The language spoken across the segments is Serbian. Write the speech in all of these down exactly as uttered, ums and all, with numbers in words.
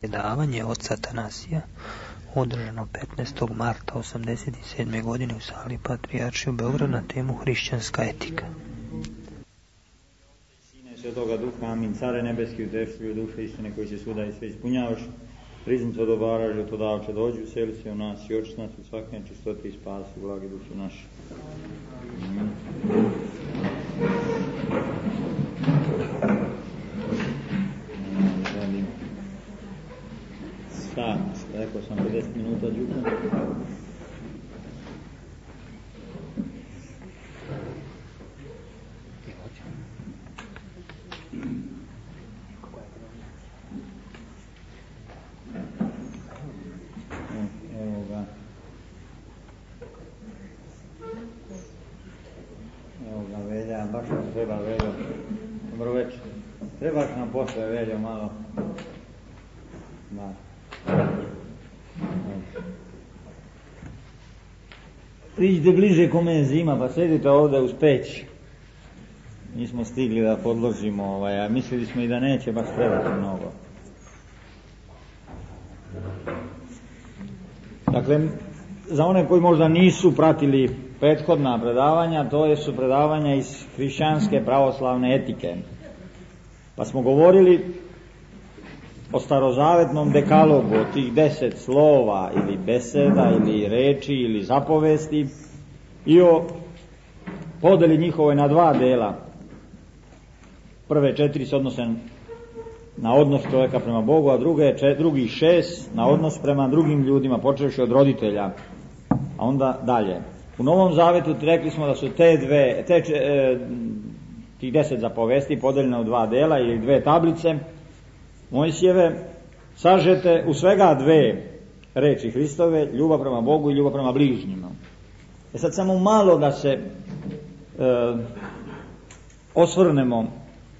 Predavanje oca Atanasija održano petnaestog marta osamdeset sedme. godine u sali Patrijaršije u Beogradu na temu hrišćanska etika. Sine Svetoga Duha, amin. Care nebeski, utešljive duše istine koji se svuda i sve ispunjavaš, priznico dobara, životodavče, dođi, useli se u nas i očisti nas u svake čistote i spasi, blage duše naše. Amin. Sat, rekao sam pedeset minuta džuka. Evo ga. Evo ga Velja, baš nam treba Veljo. Dobro večer. Trebaš nam posle Veljo malo. Da. Priđite bliže kome je zima, pa sedite ovdje uz peć. Nismo stigli da podložimo, ovaj, a mislili smo i da neće baš trebati mnogo. Dakle, za one koji možda nisu pratili prethodna predavanja, to je su predavanja iz hrišćanske pravoslavne etike. Pa smo govorili o starozavetnom dekalogu, o tih deset slova ili beseda ili reči ili zapovesti i o podeli njihovoj na dva dela. Prve četiri se odnose na odnos čovjeka prema Bogu, a druge, čet, drugih šest na odnos prema drugim ljudima, počevši od roditelja, a onda dalje. U Novom Zavetu rekli smo da su te dve, te, e, tih deset zapovesti podeljene u dva dela ili dve tablice Mojsijeve, sažete u svega dve reči Hristove, ljubav prema Bogu i ljubav prema bližnjima. E sad samo malo da se e, osvrnemo,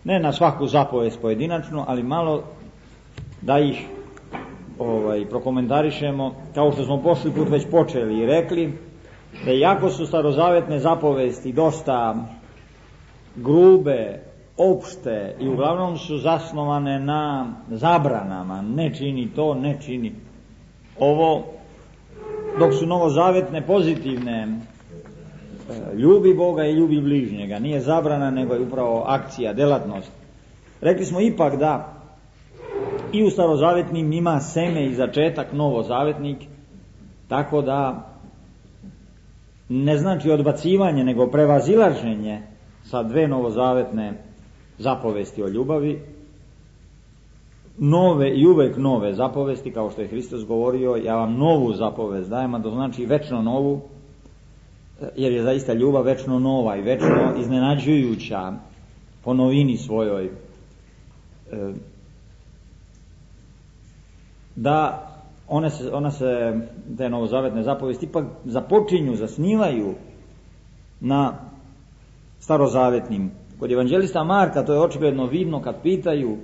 ne na svaku zapovest pojedinačno, ali malo da ih ovaj, prokomentarišemo, kao što smo prošli put već počeli i rekli, da iako su starozavetne zapovesti dosta grube, opšte i uglavnom su zasnovane na zabranama, ne čini to, ne čini ovo, dok su novozavetne pozitivne, ljubi Boga i ljubi bližnjega, nije zabrana nego je upravo akcija, delatnost. Rekli smo ipak da i u starozavetnim ima seme i začetak novozavetnik, tako da ne znači odbacivanje nego prevazilaženje sa dve novozavetne zapovesti o ljubavi, nove i uvek nove zapovesti, kao što je Hristos govorio, ja vam novu zapovest dajem, a to znači večno novu, jer je zaista ljubav večno nova i večno iznenađujuća po novini svojoj. Da one se, one se te novozavetne zapovesti ipak započinju, zasnivaju na starozavetnim. Kod evanđelista Marka to je očigledno vidno kad pitaju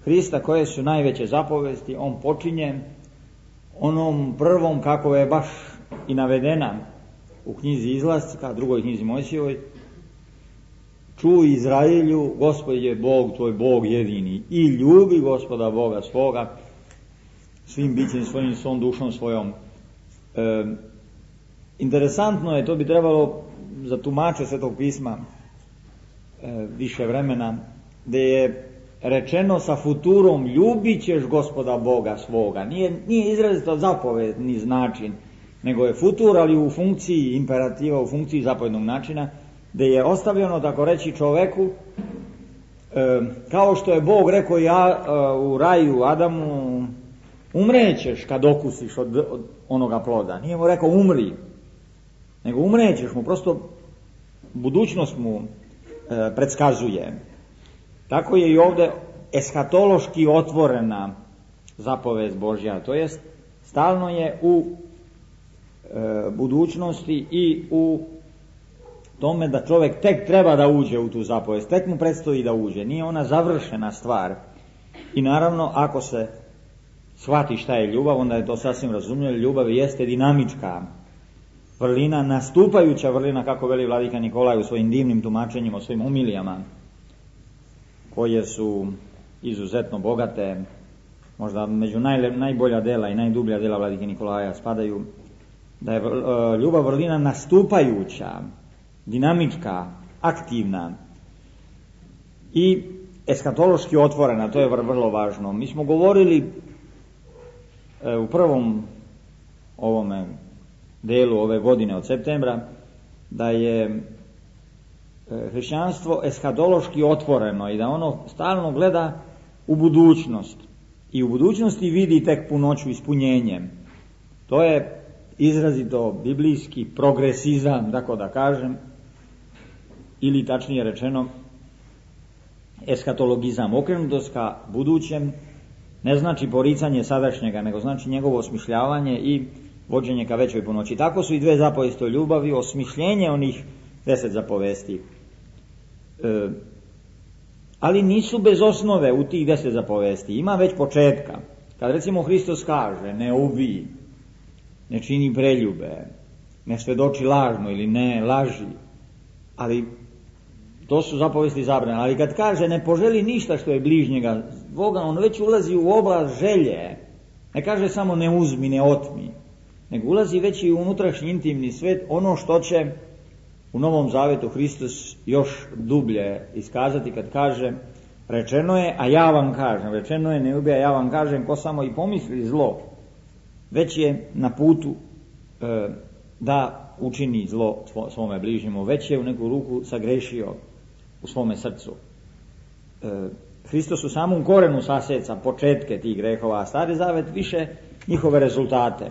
Hrista koje su najveće zapovesti, on počinje onom prvom kako je baš i navedena u knjizi Izlaska, drugoj knjizi Mojsijevoj. Čuj Izraelju, Gospod je Bog, tvoj Bog jedini, i ljubi Gospoda Boga svoga svim bićem svojim, svom dušom svojom. E, interesantno je, to bi trebalo za tumače Svetog pisma e, više vremena, da je rečeno sa futurom ljubit ćeš Gospoda Boga svoga. Nije, nije izrazito zapovedni način, nego je futur, ali u funkciji imperativa, u funkciji zapovednog načina, da je ostavljeno, tako reći, čoveku, e, kao što je Bog rekao ja e, u raju Adamu, umrećeš kad okusiš od, od onoga ploda. Nije mu rekao umri, nego umrećeš mu, prosto budućnost mu e, predskazuje. Tako je i ovdje eskatološki otvorena zapovest Božja, to jest stalno je u e, budućnosti i u tome da čovjek tek treba da uđe u tu zapovest, tek mu predstoji da uđe, nije ona završena stvar. I naravno, ako se shvati šta je ljubav, onda je to sasvim razumljivo. Ljubav jeste dinamička vrlina, nastupajuća vrlina, kako veli vladika Nikolaj u svojim divnim tumačenjima, o svojim umilijama, koje su izuzetno bogate možda među naj, najbolja dela i najdublja dela vladike Nikolaja spadaju, da je ljubav vrlina nastupajuća, dinamička, aktivna i eskatološki otvorena, to je vrlo važno. Mi smo govorili u prvom ovome delu ove godine od septembra da je hrišćanstvo eskatološki otvoreno i da ono stalno gleda u budućnost i u budućnosti vidi tek punoću ispunjenjem. To je izrazito biblijski progresizam, tako da kažem, ili tačnije rečeno eskatologizam. Okrenutost ka budućem ne znači poricanje sadašnjega, nego znači njegovo osmišljavanje i vođenje ka većoj punoći. Tako su i dve zapovesti o ljubavi, osmišljenje onih deset zapovesti. E, ali nisu bez osnove u tih deset zapovesti. Ima već početka. Kad recimo Hristos kaže ne ubij, ne čini preljube, ne svedoči lažno ili ne laži, ali to su zapovesti zabrane. Ali kad kaže ne poželi ništa što je bližnjega Boga, on već ulazi u oblast želje. Ne kaže samo ne uzmi, ne otmi, nego ulazi već i u unutrašnji intimni svet, ono što će u Novom Zavetu Hristos još dublje iskazati kad kaže rečeno je, a ja vam kažem, rečeno je ne ubij, a ja vam kažem, ko samo i pomisli zlo, već je na putu e, da učini zlo svome bližnjemu, već je u neku ruku sagrešio u svome srcu. E, Hristos u samom korenu saseca početke tih grehova, a Stari Zavet više njihove rezultate.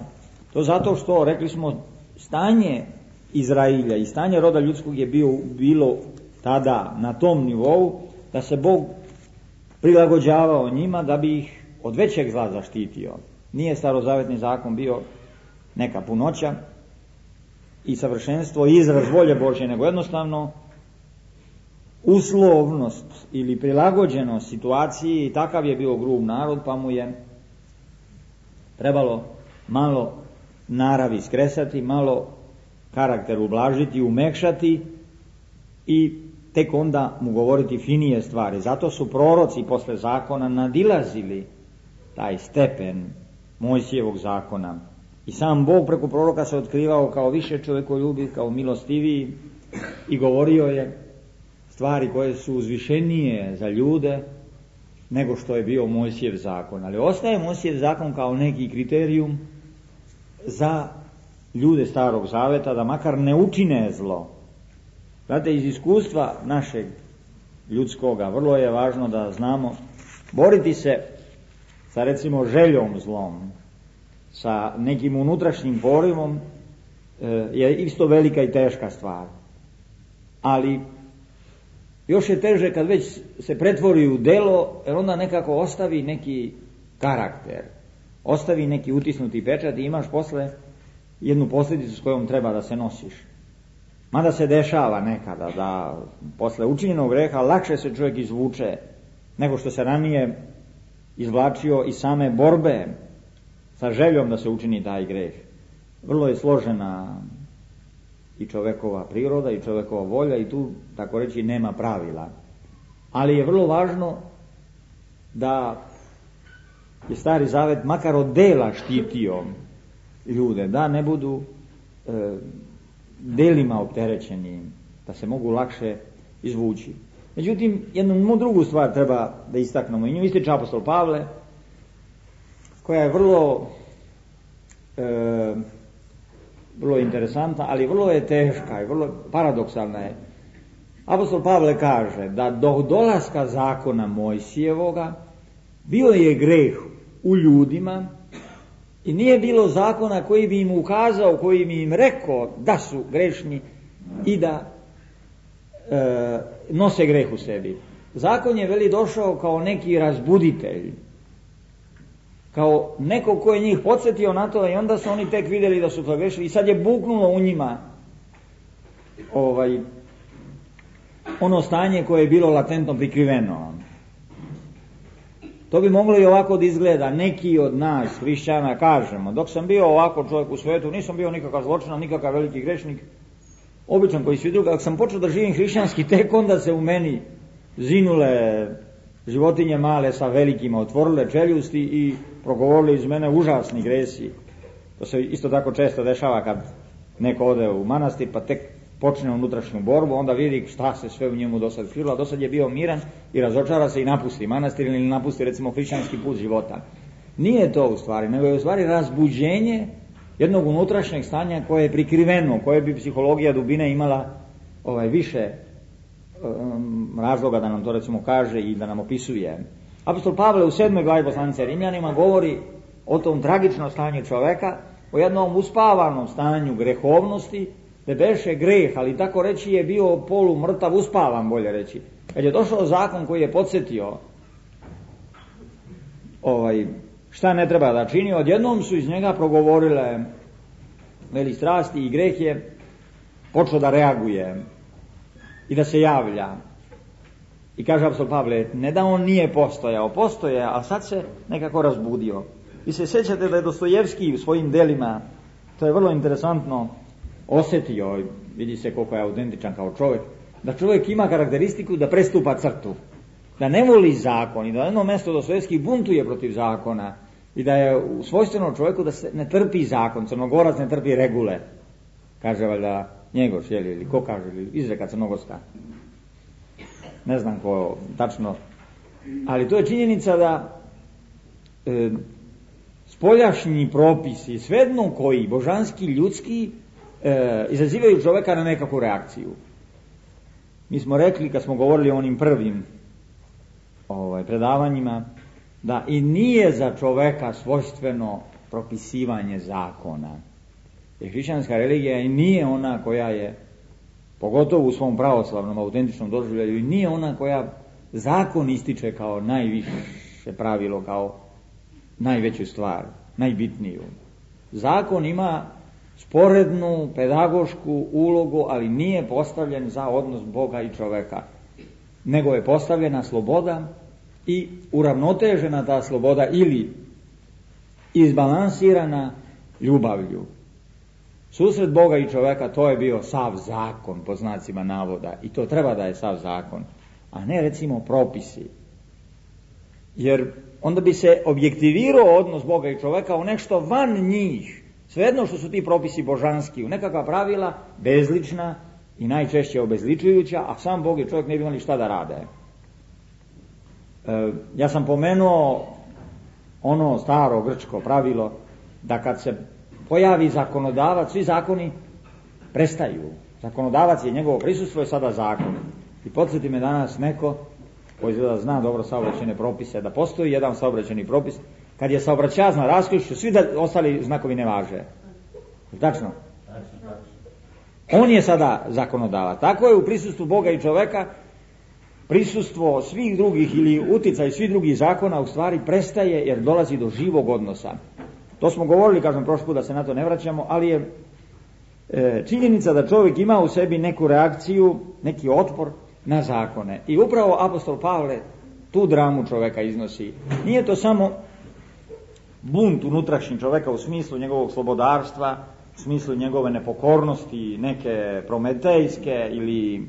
To zato što, rekli smo, stanje Izrailja i stanje roda ljudskog je bio, bilo tada na tom nivou da se Bog prilagođavao njima da bi ih od većeg zla zaštitio. Nije starozavetni zakon bio neka punoća i savršenstvo i izraz volje Božje, nego jednostavno uslovnost ili prilagođenost situaciji. Takav je bio grub narod, pa mu je trebalo malo naravi skresati, malo karakter ublažiti, umekšati i tek onda mu govoriti finije stvari. Zato su proroci posle zakona nadilazili taj stepen Mojsijevog zakona. I sam Bog preko proroka se otkrivao kao više čovjekoljubiv, kao milostiviji i govorio je stvari koje su uzvišenije za ljude nego što je bio Mojsijev zakon. Ali ostaje Mojsijev zakon kao neki kriterijum za ljude Starog Zaveta da makar ne učine zlo. Znate, iz iskustva našeg ljudskoga vrlo je važno da znamo boriti se sa recimo željom zlom, sa nekim unutrašnjim porivom je isto velika i teška stvar. Ali još je teže kad već se pretvori u delo, jer onda nekako ostavi neki karakter, ostavi neki utisnuti pečat i imaš posle jednu posljedicu s kojom treba da se nosiš. Mada se dešava nekada da posle učinjenog greha lakše se čovjek izvuče nego što se ranije izvlačio iz same borbe sa željom da se učini taj greh. Vrlo je složena i čovjekova priroda i čovjekova volja i tu, tako reći, nema pravila. Ali je vrlo važno da je Stari Zavet makar od dela štitio ljude, da ne budu e, delima opterećeni, da se mogu lakše izvući. Međutim, jednu drugu stvar treba da istaknemo i nju ističe apostol Pavle, koja je vrlo e, vrlo interesantna, ali vrlo je teška i vrlo paradoksalna je. Apostol Pavle kaže da do dolaska zakona Mojsijevoga bio je greh u ljudima i nije bilo zakona koji bi im ukazao, koji bi im rekao da su grešni i da e, nose greh u sebi. Zakon je, veli, došao kao neki razbuditelj, kao neko ko je njih podsjetio na to i onda su oni tek vidjeli da su to grešili i sad je buknulo u njima ovaj, ono stanje koje je bilo latentno prikriveno. To bi moglo i ovako da izgleda. Neki od nas, hrišćana, kažemo, dok sam bio ovako čovjek u svijetu, nisam bio nikakav zločinan, nikakav veliki grešnik, običan koji svi drugi, ako sam počeo da živim hrišćanski, tek onda se u meni zinule životinje male sa velikima otvorile čeljusti i progovorili iz mene užasni gresi. To se isto tako često dešava kad neko ode u manastir pa tek počne unutrašnju borbu, onda vidi šta se sve u njemu do sad krilo, a do sad je bio miran i razočara se i napusti manastir ili napusti recimo hrišćanski put života. Nije to u stvari, nego je u stvari razbuđenje jednog unutrašnjeg stanja koje je prikriveno, koje bi psihologija dubine imala ovaj više um, razloga da nam to recimo kaže i da nam opisuje. Apostol Pavle u sedmoj glavi poslanice Rimljanima govori o tom tragičnom stanju čoveka, o jednom uspavanom stanju grehovnosti, da beše greh, ali tako reći je bio polu mrtav, uspavan bolje reći. Kad je došao zakon koji je podsjetio ovaj, šta ne treba da čini, odjednom su iz njega progovorile veli strasti i greh je počeo da reaguje i da se javlja. I kaže apostol Pavle, ne da on nije postojao, postoje, a sad se nekako razbudio. Vi se sjećate da je Dostojevski u svojim delima, to je vrlo interesantno, osjetio, vidi se koliko je autentičan kao čovjek, da čovjek ima karakteristiku da prestupa crtu, da ne voli zakon i da na jedno mjesto Dostojevski buntuje protiv zakona i da je svojstveno čovjeku da se ne trpi zakon, Crnogorac ne trpi regule, kaže valjda Njegoš, jeli, ili ko kaže, ili izreka crnogorska, ne znam ko tačno, ali to je činjenica da e, spoljašnji propisi, svejedno koji, božanski, ljudski, e, izazivaju čovjeka na nekakvu reakciju. Mi smo rekli, kad smo govorili o onim prvim ovaj, predavanjima, da i nije za čovjeka svojstveno propisivanje zakona. Jer hrišćanska religija i nije ona koja je, pogotovo u svom pravoslavnom, autentičnom doživljaju, i nije ona koja zakon ističe kao najviše pravilo, kao najveću stvar, najbitniju. Zakon ima sporednu pedagošku ulogu, ali nije postavljen za odnos Boga i čoveka, nego je postavljena sloboda i uravnotežena ta sloboda ili izbalansirana ljubavlju. Susret Boga i čoveka, to je bio sav zakon, po znacima navoda, i to treba da je sav zakon, a ne recimo propisi. Jer onda bi se objektivirao odnos Boga i čoveka u nešto van njih, svejedno što su ti propisi božanski, u nekakva pravila bezlična i najčešće obezličujuća, a sam Bog i čovjek ne bi imali šta da rade. E, ja sam pomenuo ono staro grčko pravilo da kad se pojavi zakonodavac, svi zakoni prestaju. Zakonodavac je njegovo prisustvo i sada zakon. I podsjeti me danas neko koji izgleda zna dobro saobraćajne propise, da postoji jedan saobraćajni propis, kad je saobraćajac na raskrižju, svi da ostali znakovi ne važe. Tačno? On je sada zakonodavac. Tako je u prisustvu Boga i čoveka, prisustvo svih drugih ili uticaj svih drugih zakona u stvari prestaje jer dolazi do živog odnosa. To smo govorili, kažem, prošli put da se na to ne vraćamo, ali je e, činjenica da čovjek ima u sebi neku reakciju, neki otpor na zakone. I upravo apostol Pavle tu dramu čovjeka iznosi. Nije to samo bunt unutrašnji čovjeka u smislu njegovog slobodarstva, u smislu njegove nepokornosti, neke prometejske ili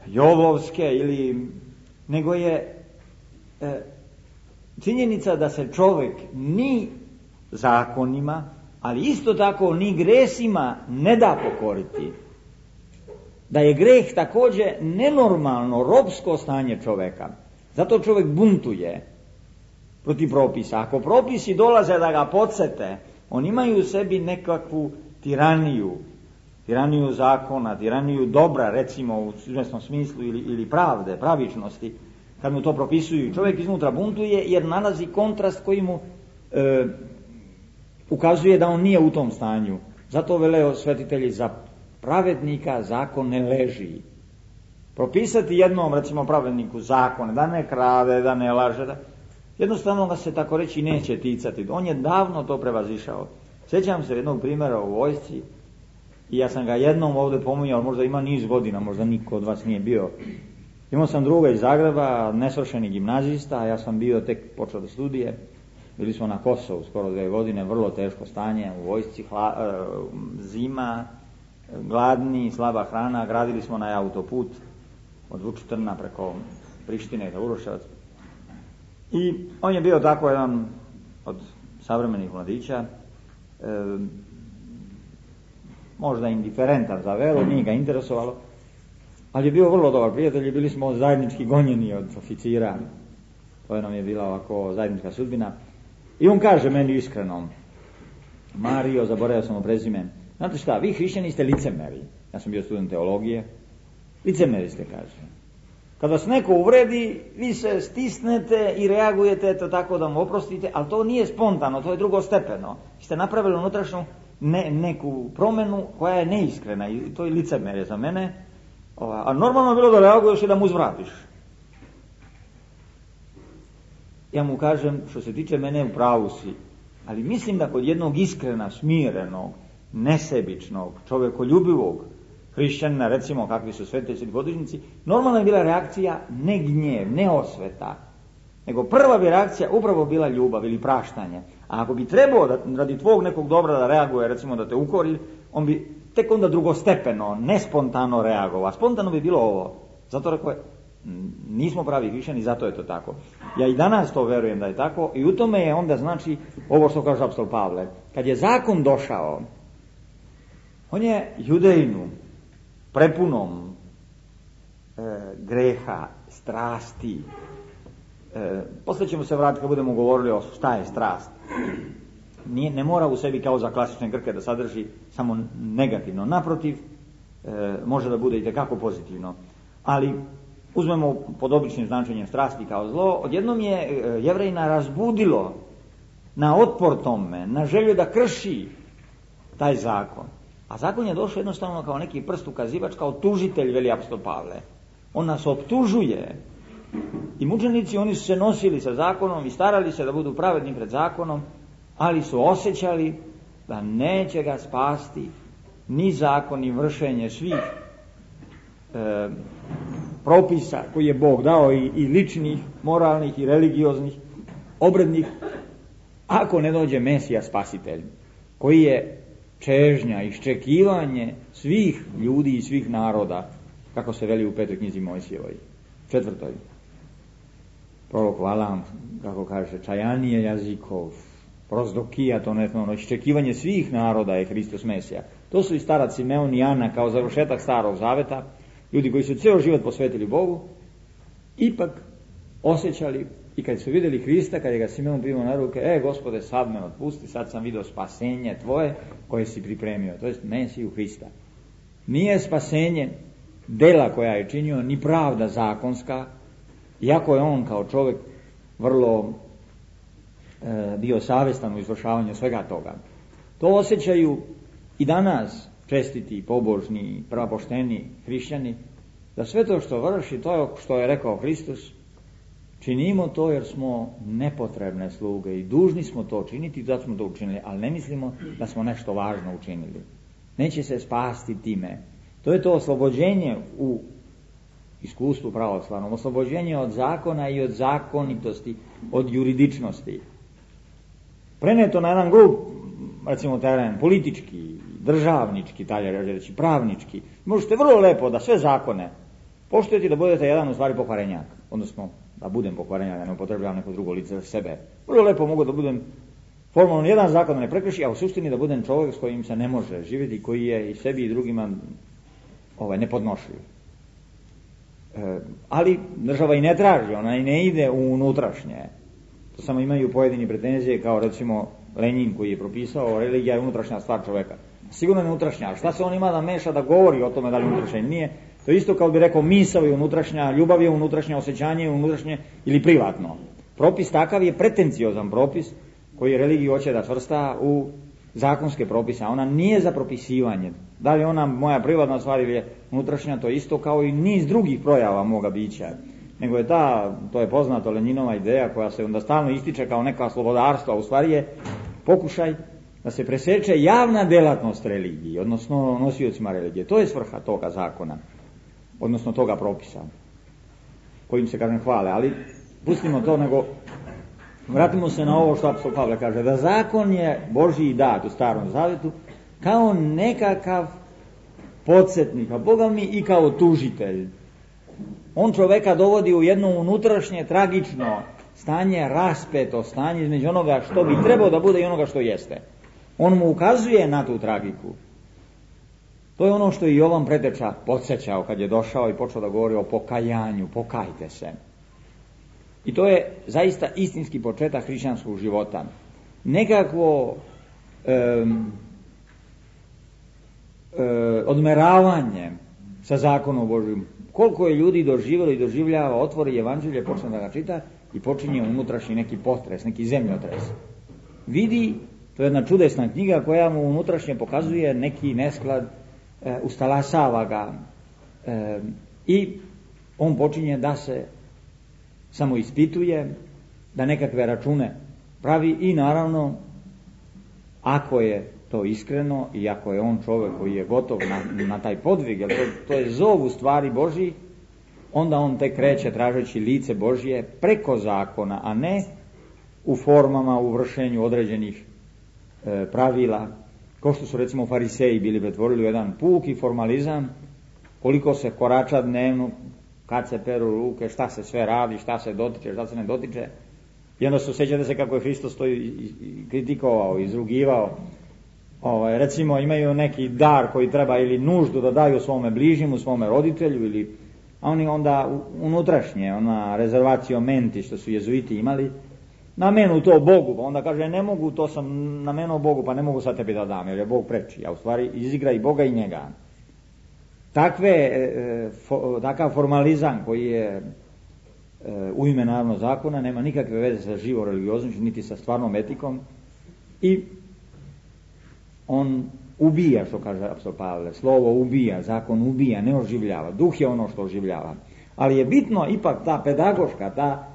jovovske, ili, nego je e, činjenica da se čovjek ni zakonima, ali isto tako ni gresima ne da pokoriti. Da je greh također nenormalno, robsko stanje čovjeka. Zato čovjek buntuje protiv propisa. Ako propisi dolaze da ga podsete, oni imaju u sebi nekakvu tiraniju, tiraniju zakona, tiraniju dobra, recimo u izvjesnom smislu, ili, ili pravde, pravičnosti, kad mu to propisuju. Čovjek iznutra buntuje jer nalazi kontrast koji mu e, ukazuje da on nije u tom stanju. Zato vele svetitelji, za pravednika zakon ne leži. Propisati jednom, recimo, pravedniku zakone, da ne krade, da ne laže, da jednostavno ga se tako reći neće ticati. On je davno to prevazišao. Sjećam se jednog primjera u vojsci i ja sam ga jednom ovdje pominjao, možda ima niz godina, možda niko od vas nije bio. Imao sam druga iz Zagreba, nesvršeni gimnazista, a ja sam bio tek počeo da studije. Bili smo na Kosovu skoro dvije godine, vrlo teško stanje u vojsci, hla, e, zima, gladni, slaba hrana. Gradili smo na autoput od Vučitrna preko Prištine, da Uroševac. I on je bio tako jedan od savremenih mladića, e, možda indiferentan za veru, nije ga interesovalo, ali je bio vrlo dobar prijatelj i bili smo zajednički gonjeni od oficira. To je nam je bila ovako zajednička sudbina. I on kaže meni iskreno, Mario, zaboravio sam o prezime, znate šta, vi hrišćani ste licemeri. Ja sam bio student teologije. Licemeri ste, kaže. Kad vas neko uvredi, vi se stisnete i reagujete to tako da mu oprostite, ali to nije spontano, to je drugostepeno. Vi ste napravili unutrašnju ne, neku promjenu koja je neiskrena i to je licemerje za mene. A normalno je bilo da reaguješ i da mu uzvratiš. Ja mu kažem, što se tiče mene, u pravu si, ali mislim da kod jednog iskrena, smirenog, nesebičnog, čovjekoljubivog hrišćanina, recimo kakvi su svetitelji podvižnici, normalna je bila reakcija ne gnjev, ne osveta, nego prva bi reakcija upravo bila ljubav ili praštanje. A ako bi trebao da, radi tvog nekog dobra da reaguje, recimo da te ukori, on bi tek onda drugostepeno, nespontano reagovao. Spontano bi bilo ovo. Zato rekao je, nismo pravi hrišćani, zato je to tako. Ja i danas to verujem da je tako i u tome je onda znači ovo što kaže apostol Pavle. Kad je zakon došao, on je judejnu, prepunom e, greha, strasti, e, poslije ćemo se vratiti kad budemo govorili o šta je strast. Nije, ne mora u sebi kao za klasične Grke da sadrži samo negativno. Naprotiv, e, može da bude i tekako pozitivno. Ali uzmemo pod običnim značenjem strasti kao zlo, odjednom je e, Jevrejina razbudilo na otpor tome, na želju da krši taj zakon. A zakon je došao jednostavno kao neki prst ukazivač, kao tužitelj, veli apostol Pavle. On nas optužuje. I mučenici, oni su se nosili sa zakonom i starali se da budu pravedni pred zakonom, ali su osjećali da neće ga spasti ni zakon, ni vršenje svih e, propisa koji je Bog dao i, i ličnih, moralnih i religioznih, obrednih, ako ne dođe Mesija spasitelj, koji je čežnja, iščekivanje svih ljudi i svih naroda, kako se veli u petoj knjizi Mojsijevoj, četvrtoj. Prorok Valam, kako kaže, čajanije jazikov, prozdokija, to ne ono, iščekivanje svih naroda je Hristos Mesija. To su i starac Simeon i Ana kao završetak Starog Zaveta, ljudi koji su ceo život posvetili Bogu, ipak osjećali i kad su vidjeli Hrista, kad je ga Simeon primio na ruke, e, Gospode, sad me otpusti, sad sam vidio spasenje tvoje koje si pripremio, to jest Mesiju Hrista. Nije spasenje dela koja je činio, ni pravda zakonska, iako je on kao čovjek vrlo e, bio savjestan u izvršavanju svega toga. To osjećaju i danas čestiti, pobožni, pravopošteni hrišćani, da sve to što vrši, to što je rekao Hristos, činimo to jer smo nepotrebne sluge i dužni smo to činiti, zato smo to učinili, ali ne mislimo da smo nešto važno učinili. Neće se spasti time. To je to oslobođenje u iskustvu pravoslavnom, oslobođenje od zakona i od zakonitosti, od juridičnosti. Preneto na jedan grup, recimo teren, politički, državnički, dalje reći, pravnički. Možete vrlo lepo da sve zakone poštujete da budete jedan u stvari pokvarenjak, odnosno da budem pokvarenjak, da ne upotrebljavam neko drugo lice za sebe. Vrlo lepo mogu da budem formalno jedan zakon da ne prekrši, a u suštini da budem čovjek s kojim se ne može živjeti, koji je i sebi i drugima ovaj, nepodnošljiv. E, ali država i ne traži, ona i ne ide u unutrašnje. To samo imaju pojedini pretenzije, kao recimo Lenin koji je propisao, religija je unutrašnja stvar čovjeka. Sigurno je unutrašnja, a šta se on ima da meša, da govori o tome da li unutrašnja nije? To je isto kao bi rekao misao je unutrašnja, ljubav je unutrašnja, osjećanje je unutrašnje ili privatno. Propis takav je pretenciozan propis koji religiju hoće da čvrsta u zakonske propise, a ona nije za propisivanje. Da li ona moja privatna stvar ili je unutrašnja, to je isto kao i niz drugih projava moga bića. Nego je ta, to je poznato Lenjinova ideja koja se onda stalno ističe kao neka slobodarstva, a u stvari je pokušaj da se preseče javna delatnost religiji, odnosno nosiocima religije. To je svrha toga zakona, odnosno toga propisa, kojim se, kažem, hvale. Ali pustimo to, nego vratimo se na ovo što apostol Pavle kaže, da zakon je Božji dat u Starom Zavetu kao nekakav podsjetnik, a Boga mi i kao tužitelj. On čoveka dovodi u jedno unutrašnje tragično stanje, raspeto stanje između onoga što bi trebao da bude i onoga što jeste. On mu ukazuje na tu tragiku. To je ono što i Jovan Preteča podsjećao kad je došao i počeo da govori o pokajanju, pokajte se. I to je zaista istinski početak hrišćanskog života. Nekakvo um, um, odmeravanje sa zakonom Božjim. Koliko je ljudi doživjelo i doživljava, otvori evanđelje, počne da ga čita i počinje unutrašnji neki potres, neki zemljotres. Vidi, to je jedna čudesna knjiga koja mu unutrašnje pokazuje neki nesklad, e, ustalasava ga e, i on počinje da se samo ispituje, da nekakve račune pravi i naravno, ako je to iskreno i ako je on čovjek koji je gotov na, na taj podvig, jer to, to je zov u stvari Božji, onda on tek kreće tražeći lice Božje preko zakona, a ne u formama, u vršenju određenih e, pravila, kao što su recimo fariseji bili pretvorili u jedan puki formalizam, koliko se korača dnevno, kad se peru ruke, šta se sve radi, šta se dotiče, šta se ne dotiče. I onda se osjećate se kako je Hristos to i, i, i kritikovao, izrugivao. Ovaj, recimo imaju neki dar koji treba ili nuždu da daju svome bližnjemu, svome roditelju, ili, a oni onda unutrašnje, ona rezervacio menti što su jezuiti imali, namenu to Bogu, pa onda kaže ne mogu, to sam namenuo Bogu, pa ne mogu sad tebi da dam, jer je Bog preči, a u stvari izigra i Boga i njega. Takve, e, fo, takav formalizam koji je e, u ime naravno zakona, nema nikakve veze sa živom religioznošću, niti sa stvarnom etikom i on ubija, što kaže apostol Pavle, slovo ubija, zakon ubija, ne oživljava, duh je ono što oživljava. Ali je bitno ipak ta pedagoška, ta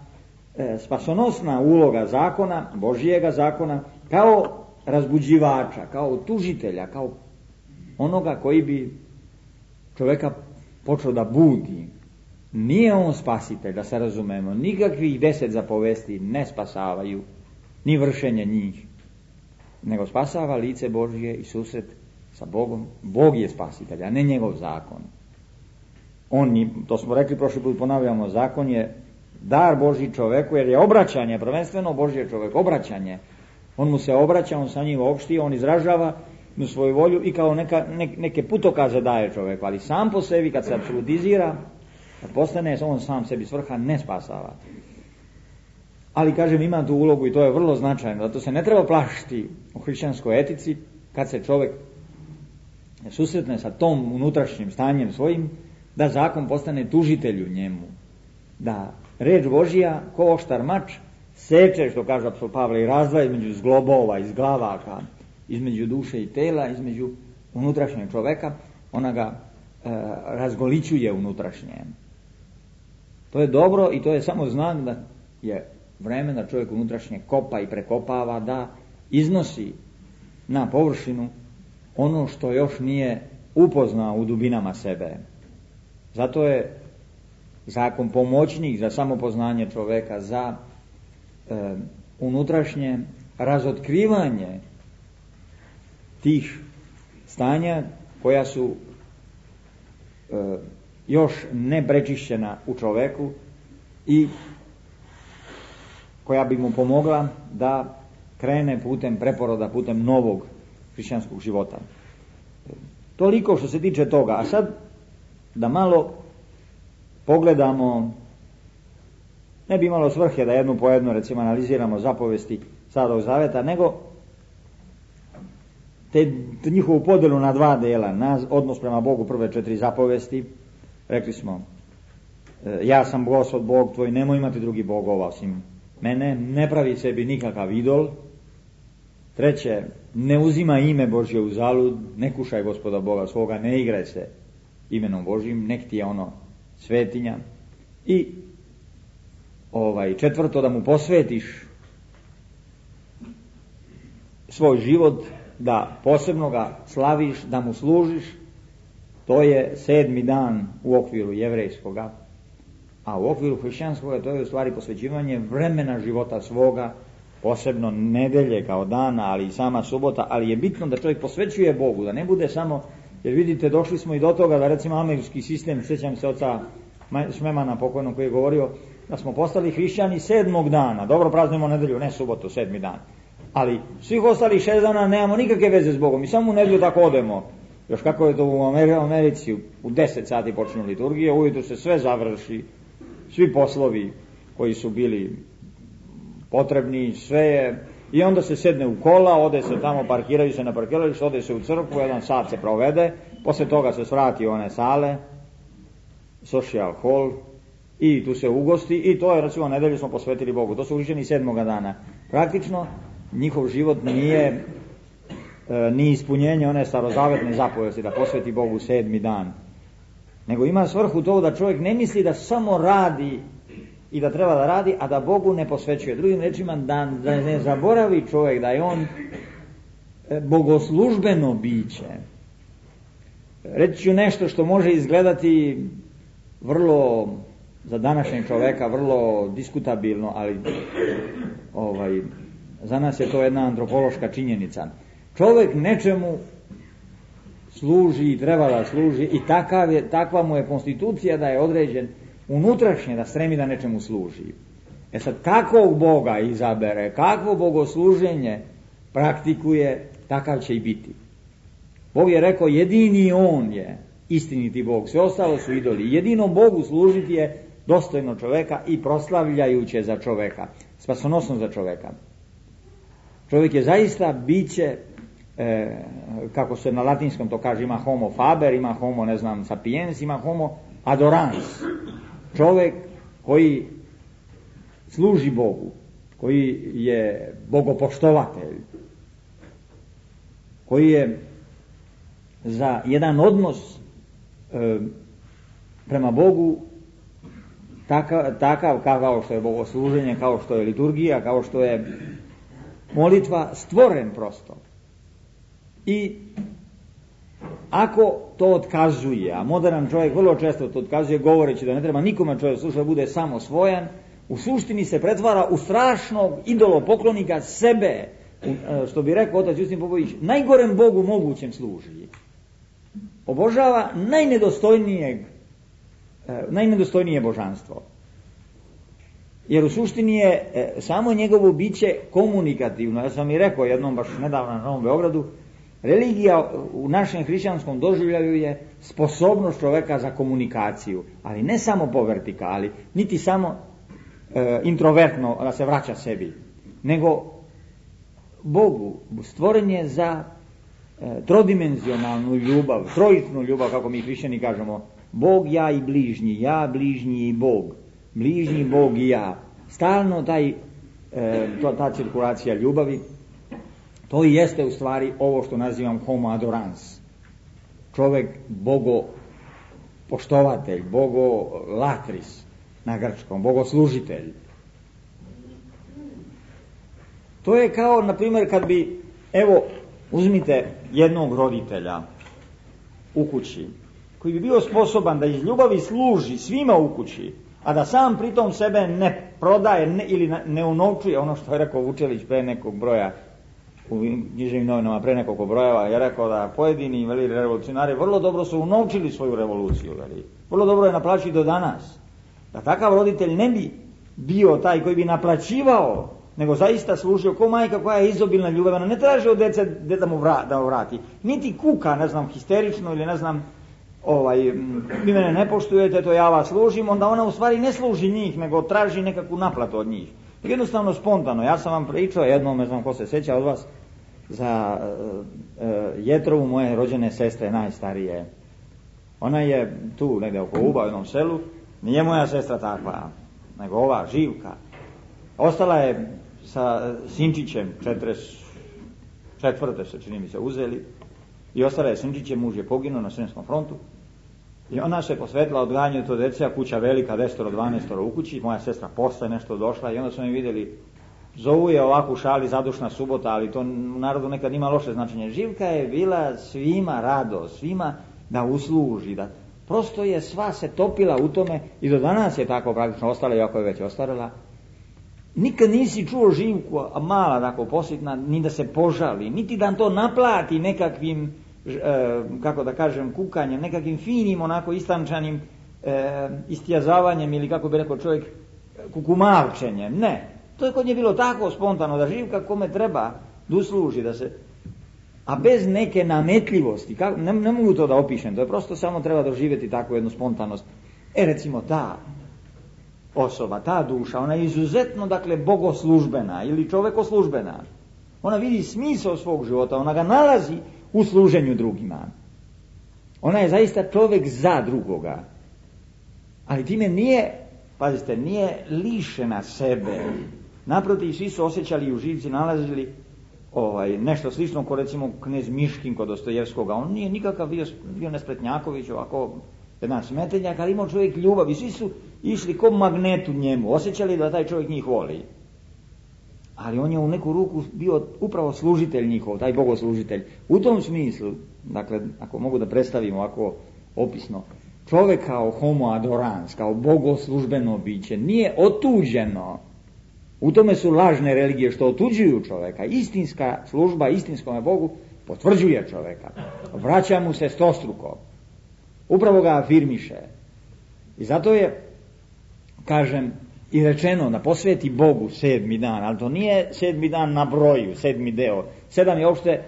e, spasonosna uloga zakona, Božijega zakona, kao razbuđivača, kao tužitelja, kao onoga koji bi čovjeka počeo da budi. Nije on spasitelj, da se razumemo, nikakvih deset zapovesti ne spasavaju, ni vršenje njih, nego spasava lice Božje i susret sa Bogom. Bog je spasitelj, a ne njegov zakon. On je, to smo rekli prošli put, ponavljamo, zakon je dar Božji čoveku, jer je obraćanje, prvenstveno Božje čovek, obraćanje. On mu se obraća, on sa njim opšti, on izražava mu svoju volju i kao neka, ne, neke putokaze daje čoveku, ali sam po sebi kad se apsolutizira, kad postane on sam sebi svrha, ne spasava. Ali kažem, ima tu ulogu i to je vrlo značajno, zato se ne treba plašiti u hrišćanskoj etici kad se čovjek susretne sa tom unutrašnjim stanjem svojim, da zakon postane tužitelju njemu, da reč Božija ko oštar mač seče, što kaže apostol Pavle, i razdvaja između zglobova, izglavaka, između duše i tela, između unutrašnjeg čoveka, ona ga e, razgolićuje unutrašnje. To je dobro i to je samo znak da je vreme da čovjek unutrašnje kopa i prekopava, da iznosi na površinu ono što još nije upoznao u dubinama sebe. Zato je zakon pomoćnik za samopoznanje čovjeka, za e, unutrašnje razotkrivanje tih stanja koja su e, još ne prečišćena u čovjeku i koja bi mu pomogla da krene putem preporoda, putem novog hrišćanskog života. Toliko što se tiče toga. A sad da malo pogledamo, ne bi imalo svrhe da jednu po jednu recimo analiziramo zapovesti Starog Zaveta, nego te njihovu podjelu na dva dela, na odnos prema Bogu, prve četiri zapovesti. Rekli smo, ja sam Gospod Bog tvoj, nemoj imati drugi bogova osim mene, ne pravi sebi nikakav idol. Treće, ne uzima ime Božje u zalud, ne kušaj Gospoda Boga svoga, ne igraj se imenom Božjim, nek ti je ono svetinja. I ovaj četvrto, da mu posvetiš svoj život, da posebno ga slaviš, da mu služiš. To je sedmi dan u okviru jevrejskoga, a u okviru hrišćanskoga to je u stvari posvećivanje vremena života svoga, posebno nedelje kao dana, ali i sama subota, ali je bitno da čovjek posvećuje Bogu, da ne bude samo, jer vidite, došli smo i do toga da recimo američki sistem, sjećam se oca Šmemana pokojnog, koji je govorio da smo postali hrišćani sedmog dana. Dobro, praznujemo nedelju, ne subotu, sedmi dan. Ali svih ostalih šest dana nemamo nikakve veze s Bogom i samo u nedelju tako odemo. Još kako je to u Americi, u deset sati počinju liturgije, ujutru se sve završi, svi poslovi koji su bili potrebni, sve je, i onda se sedne u kola, ode se tamo, parkiraju se na parkiralištu, ode se u crkvu, jedan sat se provede, posle toga se svrati u one sale, social hall, i tu se ugosti, i to je, recimo, nedelju smo posvetili Bogu. To su hrišćani sedmoga dana. Praktično, njihov život nije e, ni ispunjenje one starozavetne zapovesti da posveti Bogu sedmi dan, nego ima svrhu to da čovjek ne misli da samo radi i da treba da radi, a da Bogu ne posvećuje. Drugim rečima, da, da ne zaboravi čovjek da je on e, bogoslužbeno biće. Reći ću nešto što može izgledati vrlo, za današnjeg čovjeka, vrlo diskutabilno, ali ovaj, za nas je to jedna antropološka činjenica. Čovjek nečemu služi i treba da služi i takav je, takva mu je konstitucija da je određen unutrašnje da stremi da nečemu služi. E sad, kakvog Boga izabere, kakvo bogosluženje praktikuje, takav će i biti. Bog je rekao, jedini on je istiniti Bog, sve ostalo su idoli. Jedino Bogu služiti je dostojno čoveka i proslavljajuće za čoveka, spasonosno za čoveka. Čovjek je zaista biće, e, kako se na latinskom to kaže, ima homo faber, ima homo, ne znam, sapiens, ima homo adorans. Čovjek koji služi Bogu, koji je bogopoštovatelj, koji je za jedan odnos e, prema Bogu takav, takav kao što je bogosluženje, kao što je liturgija, kao što je molitva, stvoren prosto. I ako to otkazuje, a modern čovjek vrlo često to otkazuje govoreći da ne treba nikome čovjek slušati, da bude samo svojan, u suštini se pretvara u strašnog idolopoklonika sebe, što bi rekao otac Justin Popović, najgorem Bogu mogućem služi. Obožava najnedostojnijeg, najnedostojnije božanstvo. Jer u suštini je samo njegovo biće komunikativno. Ja sam i rekao jednom baš nedavno na Novom Beogradu, religija u našem hrišćanskom doživljaju je sposobnost čoveka za komunikaciju, ali ne samo po vertikali, niti samo e, introvertno da se vraća sebi, nego Bogu stvoren je za e, trodimenzionalnu ljubav, trojičnu ljubav, kako mi hrišćani kažemo, Bog, ja i bližnji, ja, bližnji i Bog, bližnji, Bog i ja. Stalno taj, e, to, ta cirkulacija ljubavi, to i jeste u stvari ovo što nazivam homo adorans. Čovjek bogo poštovatelj, bogo latris na grčkom, bogoslužitelj. To je kao, na primjer, kad bi, evo, uzmite jednog roditelja u kući, koji bi bio sposoban da iz ljubavi služi svima u kući, a da sam pritom sebe ne prodaje ne, ili ne unovčuje, ono što je rekao Vučelić pre nekog broja u književnim novinama, pre nekoliko brojeva, je rekao da pojedini veli, revolucionari vrlo dobro su unovčili svoju revoluciju, veli. Vrlo dobro je naplaćiti do danas. Da takav roditelj ne bi bio taj koji bi naplaćivao, nego zaista služio ko majka koja je izobilna ljubav, ona ne traži od dece da mu vra, da vrati, niti kuka, ne znam, histerično ili ne znam, ovaj, vi mene ne poštujete, to ja vas služim, onda ona u stvari ne služi njih, nego traži nekakvu naplatu od njih. Jednostavno spontano. Ja sam vam pričao jednom, ne znam ko se sjeća od vas, za uh, uh, Jetrovu, moje rođene sestre, najstarije. Ona je tu negdje oko Uba u jednom selu, nije moja sestra takva, nego ova Živka. Ostala je sa sinčićem, četrdeset četvrte se čini mi se uzeli, i ostala je sinčićem, muž je poginuo na Sremskom frontu, i ona se posvetila odgajanju to dece, a kuća velika, desetoro, dvanaestoro u kući, moja sestra posle nešto došla i onda su mi vidjeli, zovu je ovako u šali zadušna subota, ali to u narodu nekad ima loše značenje. Živka je bila svima rado, svima da usluži, da prosto je sva se topila u tome i do danas je tako praktično ostala, iako je već ostarila. Nikad nisi čuo Živku, a mala tako posjetna, ni da se požali, niti da to naplati nekakvim, e, kako da kažem, kukanjem, nekakvim finim, onako istančanim e, istjazavanjem ili kako bi rekao čovjek kukumarčenjem, ne. To je kod nje bilo tako spontano da živka kome treba da usluži, da se, a bez neke nametljivosti, kako, ne, ne mogu to da opišem, to je prosto samo treba doživjeti takvu jednu spontanost. E recimo ta osoba, ta duša, ona je izuzetno, dakle, bogoslužbena ili čovekoslužbena. Ona vidi smisao svog života, ona ga nalazi u služenju drugima. Ona je zaista čovjek za drugoga. Ali time nije, pazite, nije lišena sebe. Naprotiv, svi su osjećali i u živci nalazili ovaj, nešto slično ko recimo knez Miškin kod Dostojevskoga. On nije nikakav bio, bio nespretnjaković, ovako jedan smetenjak, ali imao čovjek ljubav i svi su išli ko magnetu njemu, osjećali da taj čovjek njih voli. Ali on je u neku ruku bio upravo služitelj njihov, taj bogoslužitelj. U tom smislu, dakle, ako mogu da predstavim ovako opisno, čovjek kao homo adorans, kao bogoslužbeno biće, nije otuđeno. U tome su lažne religije što otuđuju čovjeka. Istinska služba istinskome Bogu potvrđuje čovjeka. Vraća mu se stostruko. Upravo ga afirmiše. I zato je, kažem, i rečeno da posveti Bogu sedmi dan, ali to nije sedmi dan na broju, sedmi deo. Sedam je uopšte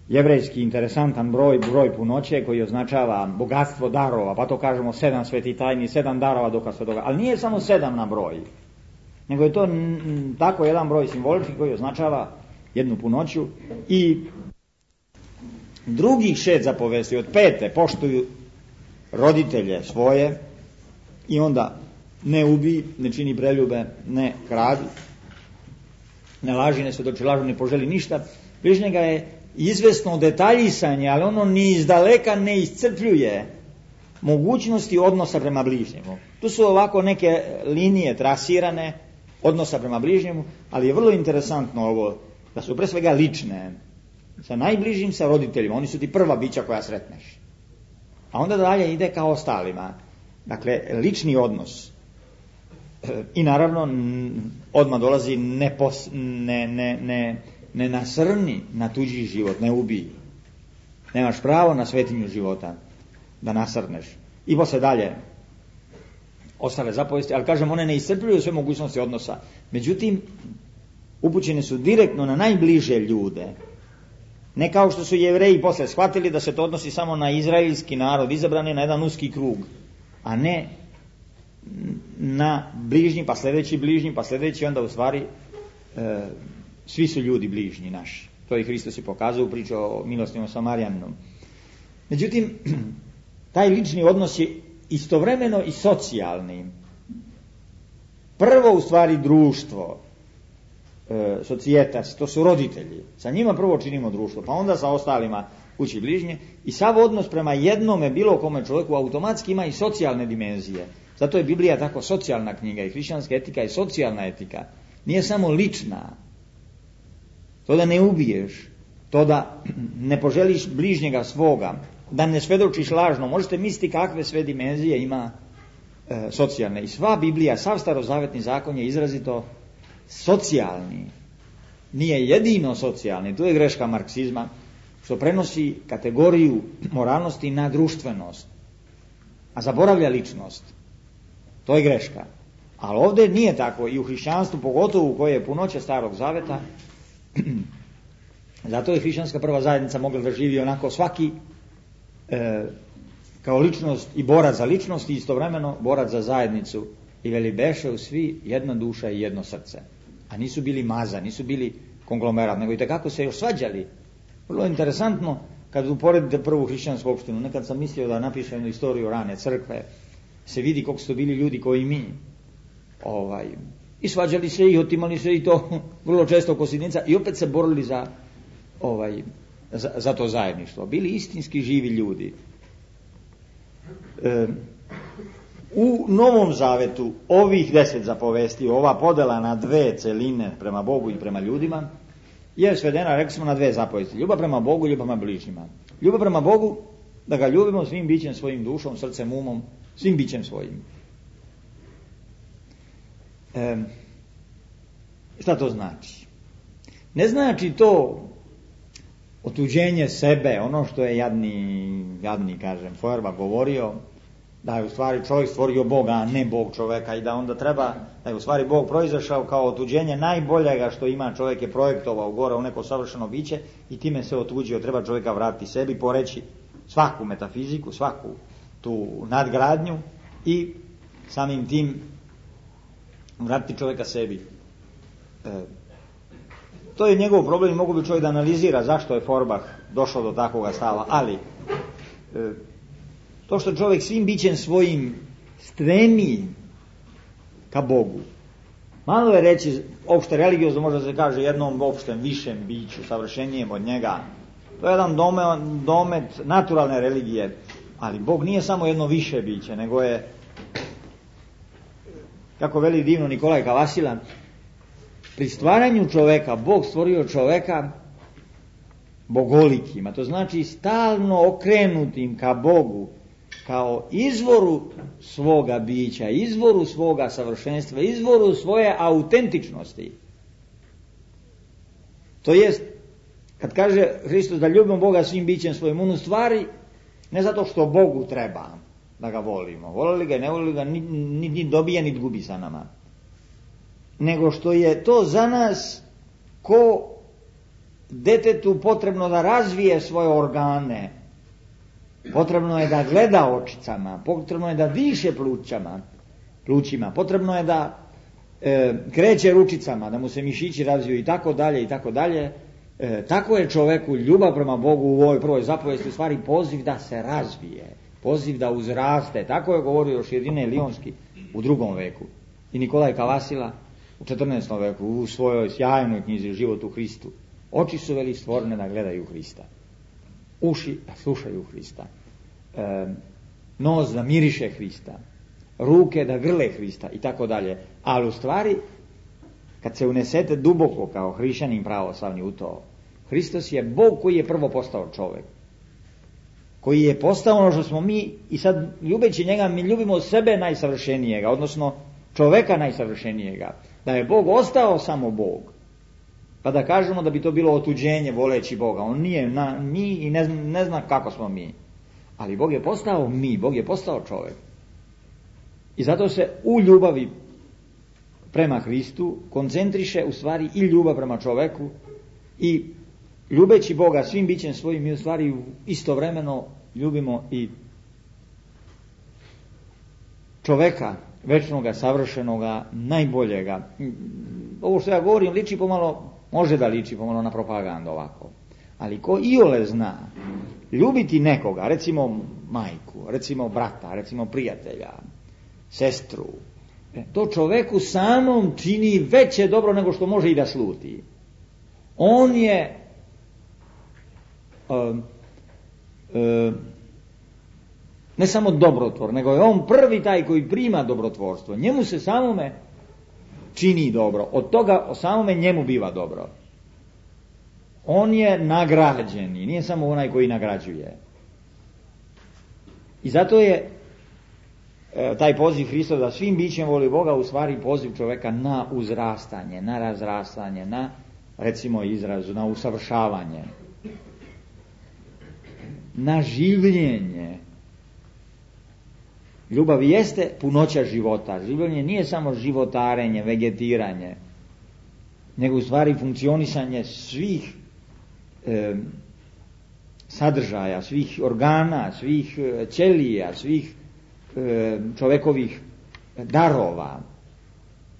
jevrejski interesantan broj, broj punoće koji označava bogatstvo darova, pa to kažemo sedam sveti tajni, sedam darova duha svetoga, ali nije samo sedam na broj, nego je to n- tako jedan broj simbolički koji označava jednu punoću. I drugih šest zapovesti od pete poštuju roditelje svoje i onda ne ubi, ne čini preljube, ne kradi, ne laži, ne svedoči lažu, ne poželi ništa. Bližnjega je izvesno detaljisanje, ali ono ni izdaleka ne iscrpljuje mogućnosti odnosa prema bližnjemu. Tu su ovako neke linije trasirane odnosa prema bližnjemu, ali je vrlo interesantno ovo, da su pre svega lične, sa najbližim, sa roditeljima, oni su ti prva bića koja sretneš. A onda dalje ide kao ostalima. Dakle, lični odnos. I naravno, odmah dolazi ne, pos, ne, ne, ne, ne nasrni na tuđi život, ne ubiji. Nemaš pravo na svetinju života da nasrneš. I posle dalje ostale zapovesti, ali kažem, one ne iscrpljuju sve mogućnosti odnosa. Međutim, upućene su direktno na najbliže ljude. Ne kao što su Jevreji posle shvatili da se to odnosi samo na izraelski narod, izabrani na jedan uski krug, a ne na bližnji, pa sljedeći bližnji, pa sljedeći, onda u stvari e, svi su ljudi bližnji naši. To je Hristos i pokazao u priču o milostivnom Samarijaninu. Međutim, taj lični odnos je istovremeno i socijalni. Prvo u stvari društvo, e, socijetas, to su roditelji. Sa njima prvo činimo društvo, pa onda sa ostalima kući bližnje. I sav odnos prema jednome, bilo kome čovjeku, automatski ima i socijalne dimenzije. Zato je Biblija tako socijalna knjiga i hrišćanska etika je socijalna etika. Nije samo lična. To da ne ubiješ, to da ne poželiš bližnjega svoga, da ne svedočiš lažno. Možete misliti kakve sve dimenzije ima e, socijalne. I sva Biblija, sav starozavetni zakon je izrazito socijalni. Nije jedino socijalni, tu je greška marksizma, što prenosi kategoriju moralnosti na društvenost, a zaboravlja ličnost. To je greška. Ali ovdje nije tako i u hrišćanstvu, pogotovo u koje je punoće starog zaveta, zato je hrišćanska prva zajednica mogla da živi onako svaki e, kao ličnost i borac za ličnost i istovremeno borac za zajednicu. I veli beše svi jedna duša i jedno srce. A nisu bili maza, nisu bili konglomerat, nego i tekako se još svađali. Vrlo interesantno kad uporedite prvu hrišćansku opštinu. Nekad sam mislio da napišem jednu istoriju rane crkve, se vidi koliko su to bili ljudi koji mi. Ovaj, I svađali se i otimali se i to vrlo često oko sitnica i opet se borili za, ovaj, za, za to zajedništvo. Bili istinski živi ljudi. E, u Novom Zavetu ovih deset zapovesti, ova podela na dve celine prema Bogu i prema ljudima, je svedena, rekli smo, na dve zapovesti. Ljubav prema Bogu i ljubav prema bližnjima. Ljubav prema Bogu, da ga ljubimo svim bićem svojim, dušom, srcem, umom, svim bićem svojim. E, šta to znači? Ne znači to otuđenje sebe, ono što je jadni, jadni kažem, Feuerbach govorio, da je u stvari čovjek stvorio Boga, a ne Bog čovjeka, i da onda treba, da je u stvari Bog proizašao kao otuđenje najboljega što ima, čovjek je projektovao gore u neko savršeno biće i time se otuđio, treba čovjeka vratiti sebi, poreći svaku metafiziku, svaku tu nadgradnju i samim tim vratiti čovjeka sebi. E, to je njegov problem i mogu bi čovjek da analizira zašto je Forbach došao do takvoga stava, ali e, to što čovjek svim bićem svojim stremi ka Bogu, malo je reći opšte religiozno, možda se kaže jednom opštem višem biću, savršenijem od njega. To je jedan domet, domet naturalne religije, ali Bog nije samo jedno više biće, nego je, kako veli divno Nikolaj Kavasila, pri stvaranju čoveka Bog stvorio čoveka bogolikim, a to znači stalno okrenutim ka Bogu, kao izvoru svoga bića, izvoru svoga savršenstva, izvoru svoje autentičnosti. To jest, kad kaže Hristos da ljubimo Boga svim bićem svojim, on u stvari ne zato što Bogu treba da ga volimo, volili ga i ne volili ga, ni, ni, ni dobija, ni gubi sa nama, nego što je to za nas ko detetu potrebno da razvije svoje organe, potrebno je da gleda očicama, potrebno je da diše plućama, plućima, potrebno je da e, kreće ručicama, da mu se mišići razviju i tako dalje i tako dalje. E, tako je čoveku ljubav prema Bogu u ovoj prvoj zapovesti u stvari poziv da se razvije, poziv da uzraste. Tako je govorio još Jedine Lionski u drugom veku i Nikolaj Kavasila u četrnaestom veku u svojoj sjajnoj knjizi Život u Hristu. Oči su veli stvorene da gledaju Hrista, uši da slušaju Hrista, e, nos da miriše Hrista, ruke da grle Hrista i tako dalje. Ali u stvari, kad se unesete duboko kao hrišćanin pravoslavni u to, Hristos je Bog koji je prvo postao čovjek, koji je postao ono što smo mi, i sad ljubeći njega mi ljubimo sebe najsavršenijega, odnosno čoveka najsavršenijega, da je Bog ostao samo Bog. Pa da kažemo da bi to bilo otuđenje voleći Boga. On nije na, mi i ne, ne zna kako smo mi. Ali Bog je postao mi, Bog je postao čovjek. I zato se u ljubavi prema Hristu koncentriše u stvari i ljubav prema čovjeku, i ljubeći Boga svim bićem svojim mi u stvari istovremeno ljubimo i čovjeka večnoga, savršenoga, najboljega. Ovo što ja govorim liči pomalo, može da liči pomalo na propagandu ovako, ali ko iole zna ljubiti nekoga, recimo majku, recimo brata, recimo prijatelja, sestru, to čoveku samom čini veće dobro nego što može i da sluti. On je uh, uh, ne samo dobrotvor, nego je on prvi taj koji prima dobrotvorstvo. Njemu se samome čini dobro, od toga o samome njemu biva dobro. On je nagrađeni, nije samo onaj koji nagrađuje. I zato je e, taj poziv Hristov da svim bićem voli Boga u stvari poziv čovjeka na uzrastanje, na razrastanje, na, recimo izrazu, na usavršavanje, na življenje. Ljubav jeste punoća života. Življenje nije samo životarenje, vegetiranje, nego u stvari funkcionisanje svih e, sadržaja, svih organa, svih e, ćelija, svih e, čovekovih darova.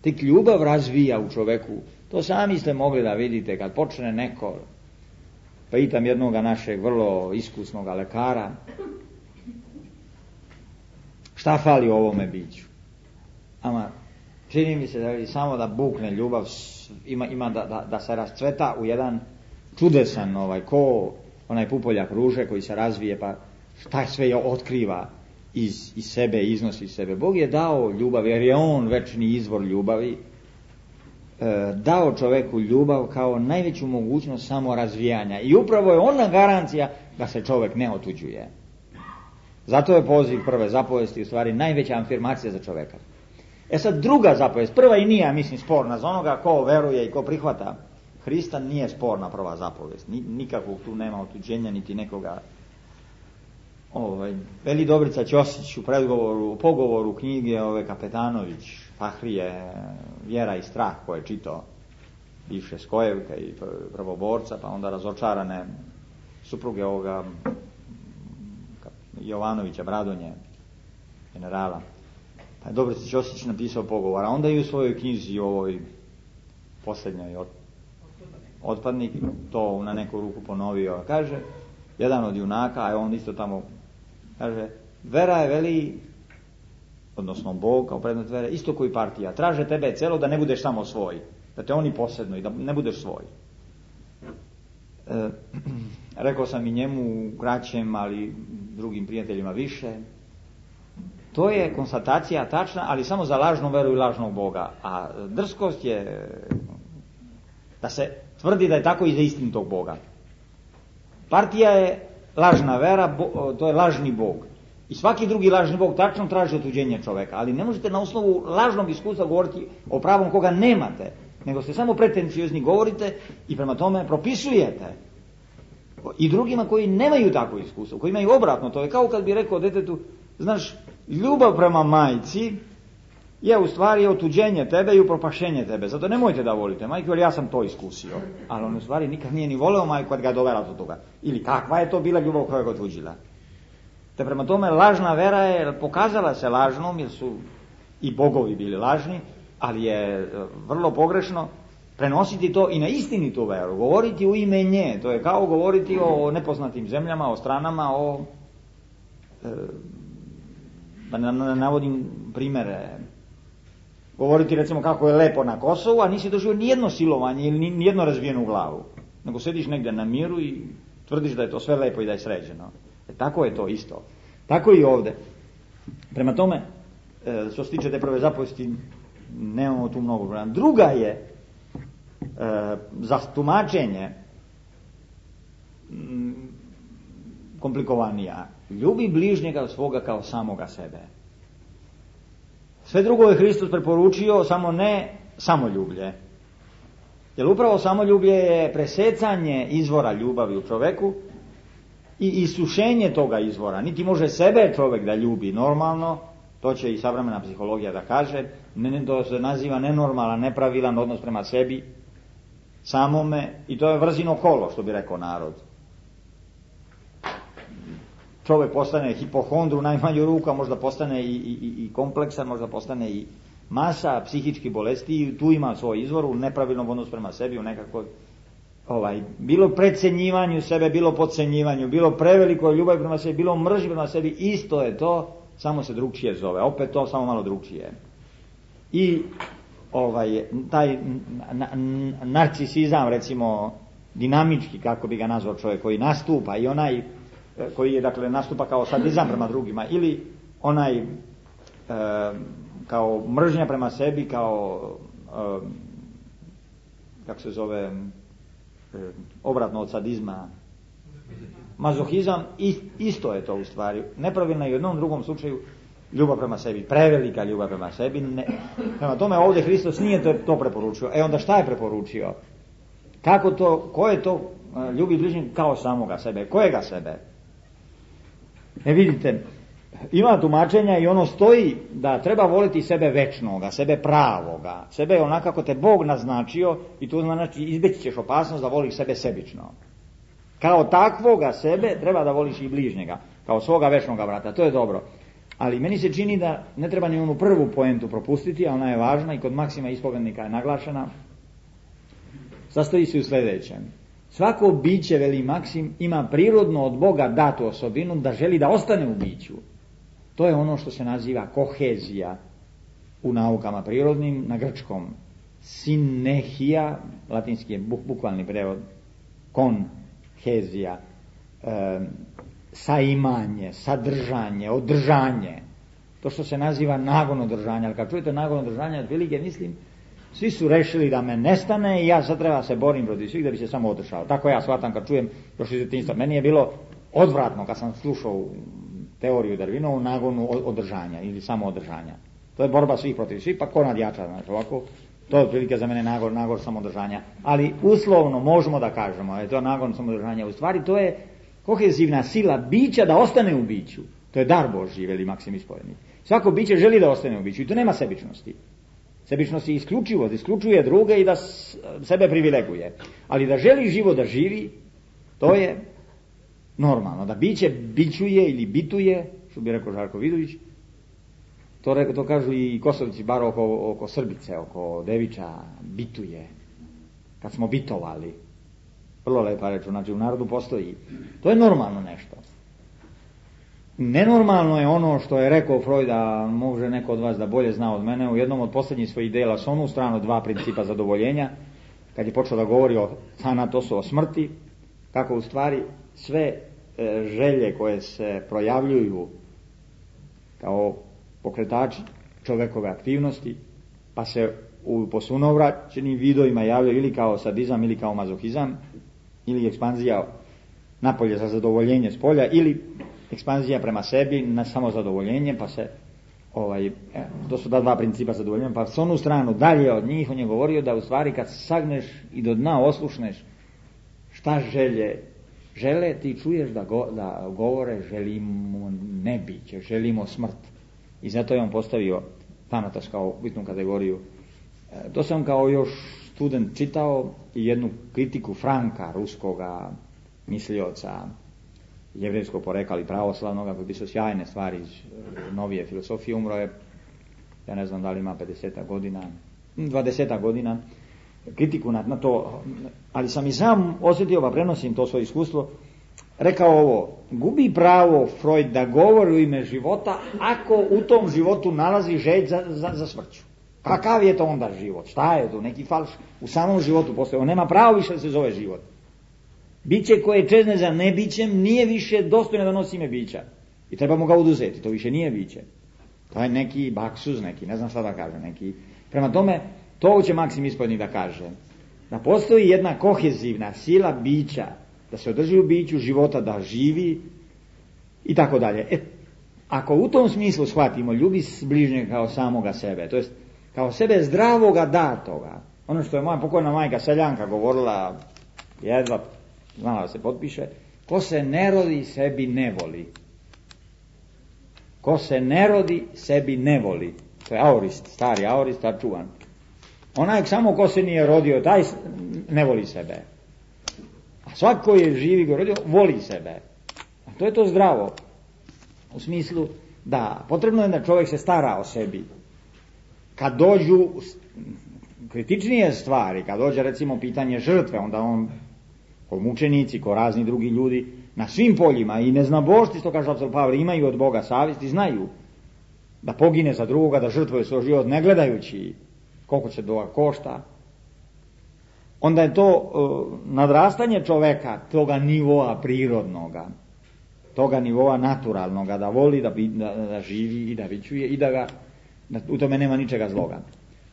Tek ljubav razvija u čoveku. To sami ste mogli da vidite kad počne neko, pitam jednoga našeg vrlo iskusnog lekara, šta fali u ovome biću? Ama čini mi se da je samo da bukne ljubav, ima, ima da, da, da se rascveta u jedan čudesan, ovaj, ko onaj pupoljak ruže koji se razvije, pa šta sve je otkriva iz, iz sebe, iznosi iz sebe. Bog je dao ljubav, jer je on večni izvor ljubavi, e, dao čoveku ljubav kao najveću mogućnost samorazvijanja. I upravo je ona garancija da se čovjek ne otuđuje. Zato je poziv prve zapovesti u stvari najveća afirmacija za čovjeka. E sad druga zapovest, prva i nije, mislim, sporna za onoga ko veruje i ko prihvata Hrista, nije sporna prva zapovest. Nikakvog tu nema otuđenja niti nekoga ovaj, veli Dobrica Ćosić u predgovoru, u pogovoru knjige ove Kapetanović, Fahrije, Vjera i strah, koje je čitao bivše Skojevka i prvoborca, pa onda razočarane supruge ovoga Jovanovića, Bradonje, generala. Pa je Dobrica Ćosić napisao pogovor, a onda i u svojoj knjizi ovoj posljednjoj od, Otpadnik to na neku ruku ponovio. Kaže, jedan od junaka, a on isto tamo kaže, vera je veli, odnosno Bog kao predmet vere, isto koji partija, traže tebe celo da ne budeš samo svoj, da te oni posebno i da ne budeš svoj. E, rekao sam i njemu kraćem, ali drugim prijateljima više. To je konstatacija tačna, ali samo za lažnu veru i lažnog Boga. A drskost je da se tvrdi da je tako i za istinitog Boga. Partija je lažna vera, bo, to je lažni Bog. I svaki drugi lažni Bog tačno traži otuđenje čoveka, ali ne možete na osnovu lažnog iskustva govoriti o pravom koga nemate, nego ste samo pretenciozni, govorite i prema tome propisujete i drugima koji nemaju takvo iskustvo, koji imaju obratno. To je kao kad bi rekao detetu, znaš, ljubav prema majci je u stvari otuđenje tebe i upropašenje tebe, zato nemojte da volite majku, jer ja sam to iskusio. Ali on u stvari nikad nije ni voleo majku kad ga dovela do toga. Ili kakva je to bila ljubav koja ga otuđila. Te prema tome lažna vera je pokazala se lažnom, jer su i bogovi bili lažni, ali je vrlo pogrešno prenositi to i na istinitu veru, govoriti u ime nje. To je kao govoriti o nepoznatim zemljama, o stranama, o e, da ne navodim primere. Govoriti recimo kako je lepo na Kosovu, a nisi doživio nijedno silovanje ili nijedno razbijenu glavu, nego sediš negdje na miru i tvrdiš da je to sve lepo i da je sređeno. E, tako je to isto. Tako i ovdje. Prema tome, e, što se tiče te prve zapovesti, nemamo tu mnogo problema. Druga je e, za tumačenje m, komplikovanija. Ljubi bližnjega svoga kao samoga sebe. Sve drugo je Hristos preporučio, samo ne samoljublje. Jer upravo samoljublje je presecanje izvora ljubavi u čoveku i isušenje toga izvora. Niti može sebe čovjek da ljubi normalno, to će i savremena psihologija da kaže, ne, to se naziva nenormalan, nepravilan odnos prema sebi, samome, i to je vrzino kolo, što bi rekao narod. Čovjek postane hipohondru u najmanju ruku, a možda postane i, i, i kompleksan, možda postane i masa psihičkih bolesti, i tu ima svoj izvor u nepravilnom odnosu prema sebi, u nekakvoj ovaj, bilo precenjivanju sebe, bilo podcenjivanju, bilo preveliko ljubav prema sebi, bilo mržnje prema sebi, isto je to, samo se drugčije zove, opet to samo malo drugčije. I ovaj, taj na, na, narcisizam, recimo dinamički, kako bi ga nazvao čovjek, koji nastupa, i onaj koji je, dakle, nastupa kao sadizam prema drugima, ili onaj e, kao mržnja prema sebi, kao e, kako se zove e, obratno od sadizma, mazohizam, isto je to u stvari. Nepravilno i u jednom drugom slučaju ljubav prema sebi, prevelika ljubav prema sebi. Ne. Prema tome ovdje Hristos nije to, to preporučio. E onda šta je preporučio? Kako to, ko je to ljubi bližnjeg kao samoga sebe? Kojega sebe? E vidite, ima tumačenja i ono stoji da treba voliti sebe večnoga, sebe pravoga, sebe onako kako te Bog naznačio, i to znači izbjeći ćeš opasnost da voliš sebe sebično. Kao takvoga sebe treba da voliš i bližnjega, kao svoga večnoga brata, to je dobro. Ali meni se čini da ne treba ni onu prvu poentu propustiti, a ona je važna i kod Maksima Ispovednika je naglašena. Sastoji se u sljedećem. Svako biće, veli Maksim, ima prirodno od Boga datu osobinu da želi da ostane u biću. To je ono što se naziva kohezija u naukama prirodnim, na grčkom synechia, latinski je bukvalni prevod, konhezija, e, saimanje, sadržanje, održanje, to što se naziva nagon održanja. Ali kad čujete nagon održanja, otprilike mislim, svi su rešili da me nestane i ja sad treba se borim protiv svih da bi se samo održao. Tako ja shvatam kad čujem još iz djetinjstva. Meni je bilo odvratno kad sam slušao teoriju Darwinovu, nagonu održanja ili samo održanja. To je borba svih protiv svih, pa ko nadjača, znači ovako. To je otprilike za mene nagon, nagon samodržanja. Ali uslovno možemo da kažemo, je to nagon samodržanja. U stvari to je kohezivna sila bića da ostane u biću. To je dar Božji, veli Maksim Ispovjednik. Svako biće želi da ostane u biću i to nema sebičnosti. Sebičnost je isključivost, isključuje druge i da sebe privileguje. Ali da želi živo da živi, to je normalno. Da biće bićuje ili bituje, što bi rekao Žarko Vidović, to, re, to kažu i Kosovci, bar oko, oko Srbice, oko Deviča, bituje. Kad smo bitovali. Vrlo lepa reč, znači u narodu postoji. To je normalno nešto. Nenormalno je ono što je rekao Freud, a može neko od vas da bolje zna od mene, u jednom od posljednjih svojih dela s onu stranu dva principa zadovoljenja, kad je počeo da govori o Thanatosu, o smrti, kako u stvari sve e, želje koje se projavljuju kao pokretači čovekove aktivnosti, pa se u posunovraćenim vidovima javljaju ili kao sadizam, ili kao mazohizam, ili ekspanzija napolje za zadovoljenje s polja, ili ekspanzija prema sebi na samo zadovoljenje, pa se ovaj, to su da dva principa zadovoljenja, pa s onu stranu dalje od njih on je govorio da u stvari kad sagneš i do dna oslušneš šta želje žele, ti čuješ da, go, da govore želimo nebiće, želimo smrt. I zato je on postavio Thanatos kao bitnu kategoriju. To sam kao još student čitao i jednu kritiku Franka, ruskoga mislioca, jevrejskog porekla i pravoslavnog, koji pisao sjajne stvari iz novije filosofije. Umro je, ja ne znam da li ima pedeset godina, dvadeset godina, kritiku na, na to, ali sam i sam osjetio, pa prenosim to svoje iskustvo, rekao ovo: gubi pravo Freud da govori u ime života ako u tom životu nalazi želj za, za, za smrću. Kakav je to onda život? Šta je to? Neki falš u samom životu postoji. On nema pravo više da se zove život. Biće koje čezne za nebićem nije više dostojno da nosi ime bića. I trebamo ga oduzeti. To više nije biće. To je neki baksuz, neki, ne znam šta da kaže, neki. Prema tome, to će Maksim Ispovjednik da kaže. Da postoji jedna kohezivna sila bića, da se održi u biću života, da živi i tako dalje. E, ako u tom smislu shvatimo, ljubi bližnjega kao samoga sebe, to jest kao sebe zdravoga datoga, ono što je moja pokojna majka Seljanka govorila, jedva znala da se potpiše, ko se ne rodi sebi ne voli. Ko se ne rodi sebi ne voli. To je aorist, stari aorist, tad čuvan. Onaj samo ko se nije rodio, taj ne voli sebe. A svak koji je živi go rodio, voli sebe. A to je to zdravo. U smislu da potrebno je da čovjek se stara o sebi. Kad dođu kritičnije stvari, kad dođe recimo pitanje žrtve, onda on, ko mučenici, ko razni drugi ljudi, na svim poljima i neznabošti, što kaže apostol Pavle, imaju od Boga savjest i znaju da pogine za drugoga, da žrtvuje svoj život, ne gledajući koliko će toga košta. Onda je to uh, nadrastanje čoveka, toga nivoa prirodnoga, toga nivoa naturalnoga, da voli, da, da, da živi i da vičuje i da ga, da u tome nema ničega zloga.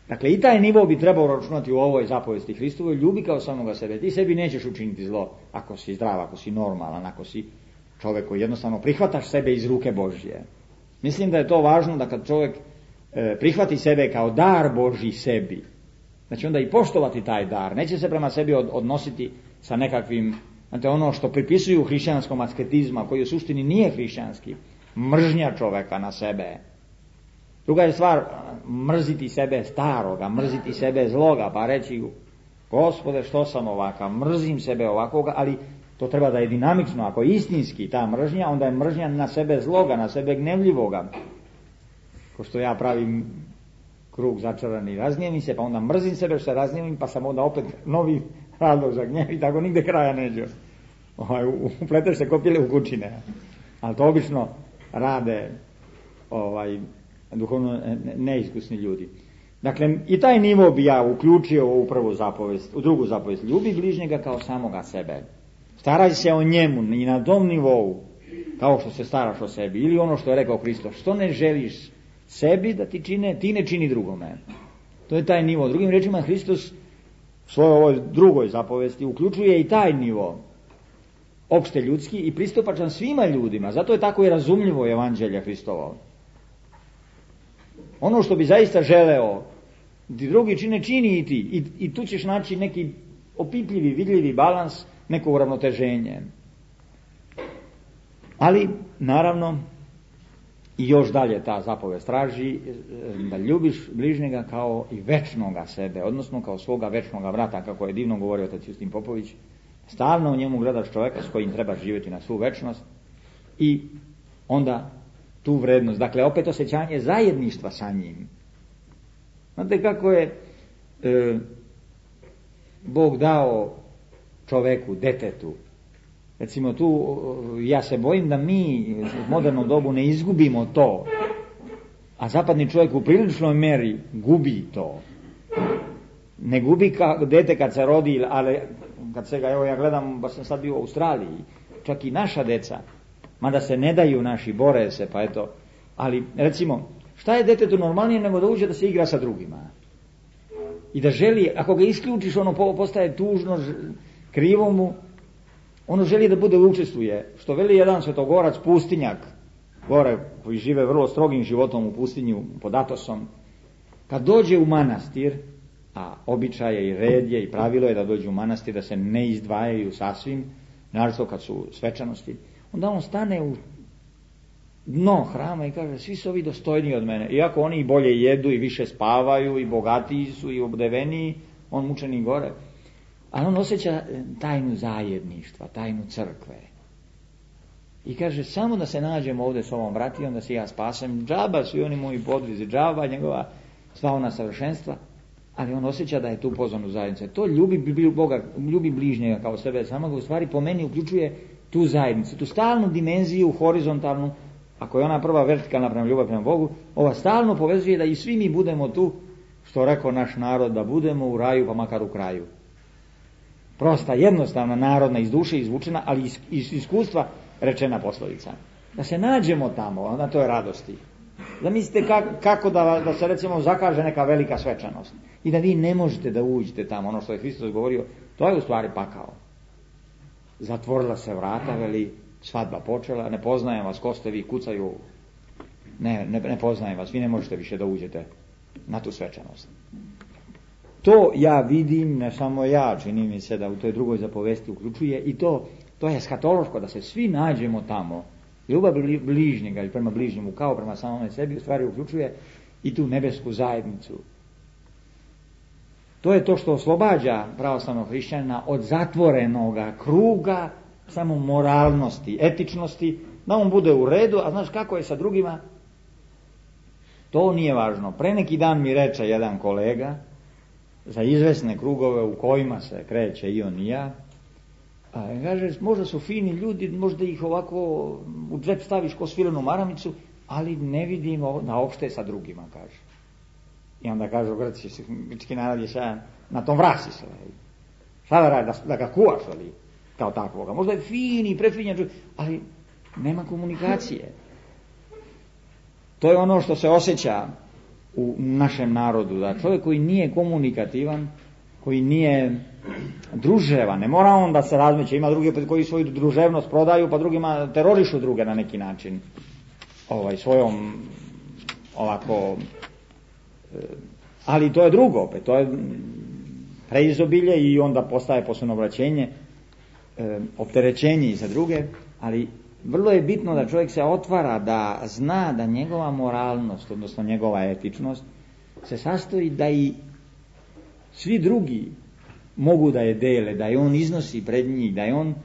Dakle, i taj nivo bi trebao računati u ovoj zapovesti Hristovoj, ljubi kao samoga sebe. Ti sebi nećeš učiniti zlo ako si zdrav, ako si normalan, ako si čovjek koji jednostavno prihvataš sebe iz ruke Božje. Mislim da je to važno da kad čovjek e, prihvati sebe kao dar Božji sebi, znači onda i poštovati taj dar, neće se prema sebi od, odnositi sa nekakvim, znate, ono što pripisuju hrišćanskom asketizma, koji u suštini nije hrišćanski, mržnja čovjeka na sebe. Druga je stvar mrziti sebe staroga, mrziti sebe zloga, pa reći Gospode što sam ovakav, mrzim sebe ovakvoga, ali to treba da je dinamično. Ako je istinski ta mržnja, onda je mržnja na sebe zloga, na sebe gnevljivoga. Ko što ja pravim krug začarani, razgnjevim se, pa onda mrzim sebe što se razgnjevim, pa sam onda opet novi razlog za gnjev i tako nigde kraja neđe. Ovaj, upleteš se kopile u kućine. Ali to obično rade ovaj, duhovno neiskusni ljudi. Dakle, i taj nivo bi ja uključio u prvu zapovest, u drugu zapovest. Ljubi bližnjega kao samoga sebe. Staraj se o njemu i na tom nivou, kao što se staraš o sebi. Ili ono što je rekao Hristos, što ne želiš sebi da ti čine, ti ne čini drugome. To je taj nivo. Drugim rečima, Hristos u svojoj ovoj drugoj zapovesti uključuje i taj nivo, opšte ljudski i pristupačan svima ljudima. Zato je tako i razumljivo evanđelje Hristovo. Ono što bi zaista želeo ti drugi čine, čini i ti. I, i tu ćeš naći neki opipljivi, vidljivi balans, neko uravnoteženje. Ali, naravno, i još dalje ta zapovest traži da ljubiš bližnjega kao i večnoga sebe, odnosno kao svoga večnoga brata, kako je divno govorio otac Justin Popović. Stalno u njemu gledaš čovjeka s kojim trebaš živjeti na svu večnost i onda tu vrednost, dakle opet osjećanje zajedništva sa njim. Znate kako je e, Bog dao čovjeku, detetu. Recimo tu, ja se bojim da mi u modernom dobu ne izgubimo to, a zapadni čovjek u priličnoj meri gubi to. Ne gubi ka, dete kad se rodi, ali kad se ga, evo ja gledam, ba sam sad bio u Australiji, čak i naša deca, mada se ne daju naši, bore se, pa eto, ali recimo, šta je detetu normalnije nego da uđe da se igra sa drugima? I da želi, ako ga isključiš, ono postaje tužno, krivo mu, ono želi da bude učestvuje, što veli jedan svetogorac pustinjak, gore koji žive vrlo strogim životom u pustinju pod Atosom, kad dođe u manastir, a običaje i red je i pravilo je da dođu u manastir, da se ne izdvajaju sasvim, naravno kad su svečanosti, onda on stane u dno hrama i kaže, svi su ovi dostojniji od mene, iako oni i bolje jedu i više spavaju i bogatiji su i obdeveniji, on mučeni gore. Ali on osjeća tajnu zajedništva, tajnu crkve. I kaže, samo da se nađemo ovdje s ovom bratijom, da se ja spasem, džaba su i oni moji podvizi, džaba njegova sva ona savršenstva, ali on osjeća da je tu pozvan u zajednicu. To ljubi Boga, ljubi bližnjega kao sebe, samo ga u stvari po meni uključuje tu zajednicu, tu stalnu dimenziju, horizontalnu, ako je ona prva vertikalna prema ljubav prema Bogu, ova stalno povezuje da i svi mi budemo tu, što rekao naš narod, da budemo u raju pa makar u kraju. Prosta, jednostavna, narodna, iz duše izvučena, ali iz, iz iskustva rečena poslovica. Da se nađemo tamo, na toj radosti. Zamislite kako, kako da, da se recimo zakaže neka velika svečanost i da vi ne možete da uđete tamo, ono što je Hristos govorio, to je u stvari pakao. Zatvorila se vrata, veli, svadba počela, ne poznajem vas, ko ste vi, kucaju, ne, ne, ne poznajem vas, vi ne možete više da uđete na tu svečanost. To ja vidim, ne samo ja, čini mi se da u toj drugoj zapovesti uključuje i to, to je eskatološko, da se svi nađemo tamo. Ljubav bližnjega ili prema bližnjemu kao prema samome sebi u stvari uključuje i tu nebesku zajednicu. To je to što oslobađa pravoslavnog hrišćanina od zatvorenoga kruga samo moralnosti, etičnosti, da on bude u redu, a znaš kako je sa drugima? To nije važno. Pre neki dan mi reče jedan kolega, za izvesne krugove u kojima se kreće i on i ja, a kaže, možda su fini ljudi, možda ih ovako u džep staviš ko svilenu maramicu, ali ne vidimo na opšte sa drugima, kaže. I onda kažu Grci, grčki narod je šta, na tom vrasi se. Šta da radi, da, da ga kuvaš, ali, kao takvoga. Možda je fini, prefinjan, ali nema komunikacije. To je ono što se osjeća u našem narodu, da čovjek koji nije komunikativan, koji nije druževan, ne mora on da se razmeće, ima drugi koji svoju druževnost prodaju, pa drugima terorišu druge na neki način, ovaj, svojom ovako, ali to je drugo, opet, to je preizobilje i onda postaje posunobraćenje, opterećenje i za druge, ali vrlo je bitno da čovjek se otvara, da zna da njegova moralnost, odnosno njegova etičnost, se sastoji da i svi drugi mogu da je dele, da je on iznosi pred njih, da je on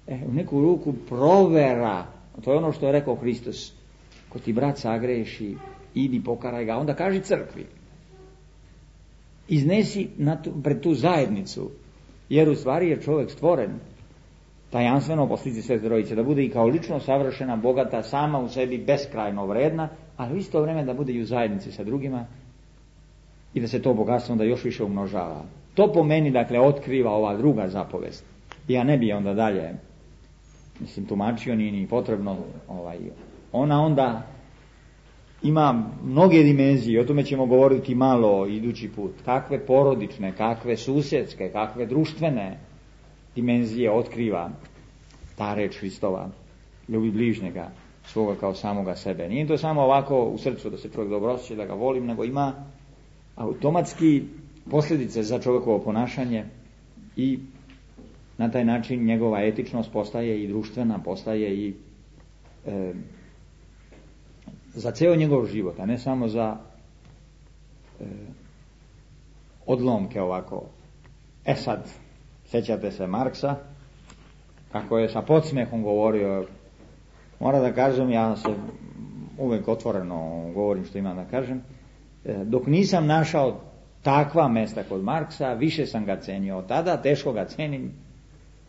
eh, u neku ruku provera. To je ono što je rekao Hristos. Ko ti brat sagreši, idi pokaraj ga, onda kaži crkvi. Iznesi na tu, pred tu zajednicu, jer u stvari je čovjek stvoren tajanstveno po slici Svete Trojice, da bude i kao lično savršena, bogata, sama u sebi beskrajno vredna, ali u isto vrijeme da bude i u zajednici sa drugima i da se to bogatstvo onda još više umnožava. To po meni, dakle, otkriva ova druga zapovest. Ja ne bi onda dalje, mislim, tumačio, nije ni potrebno, ovaj, ona onda ima mnoge dimenzije, o tome ćemo govoriti malo idući put, kakve porodične, kakve susjedske, kakve društvene dimenzije otkriva ta reč Hristova, ljubi bližnjega svoga kao samoga sebe. Nije to samo ovako u srcu da se čovjek dobro osjeća, da ga volim, nego ima automatski posljedice za čovjekovo ponašanje i na taj način njegova etičnost postaje i društvena, postaje i e, za ceo njegov život, a ne samo za e, odlomke ovako. E sad, sjećate se Marksa, kako je sa podsmehom govorio, mora da kažem, ja se uvijek otvoreno govorim što imam da kažem, e, dok nisam našao takva mesta kod Marksa, više sam ga cenio od tada, teško ga cenim.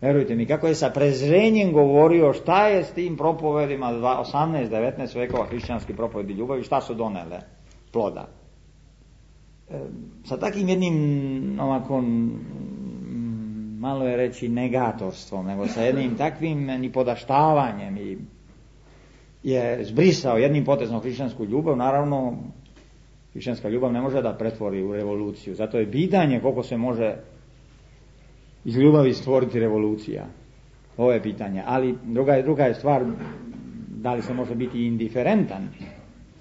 Verujte mi, kako je sa prezrenjem govorio šta je s tim propovedima osamnaest devetnaest vekova hrišćanski propovedi ljubavi, šta su donele ploda. E, sa takim jednim ovako, malo je reći negatorstvom, nego sa jednim takvim nipodaštavanjem i je zbrisao jednim potezom hrišćansku ljubav. Naravno, hrišćanska ljubav ne može da pretvori u revoluciju, zato je pitanje koliko se može iz ljubavi stvoriti revolucija. Ovo je pitanje. Ali druga je, druga je stvar da li se može biti indiferentan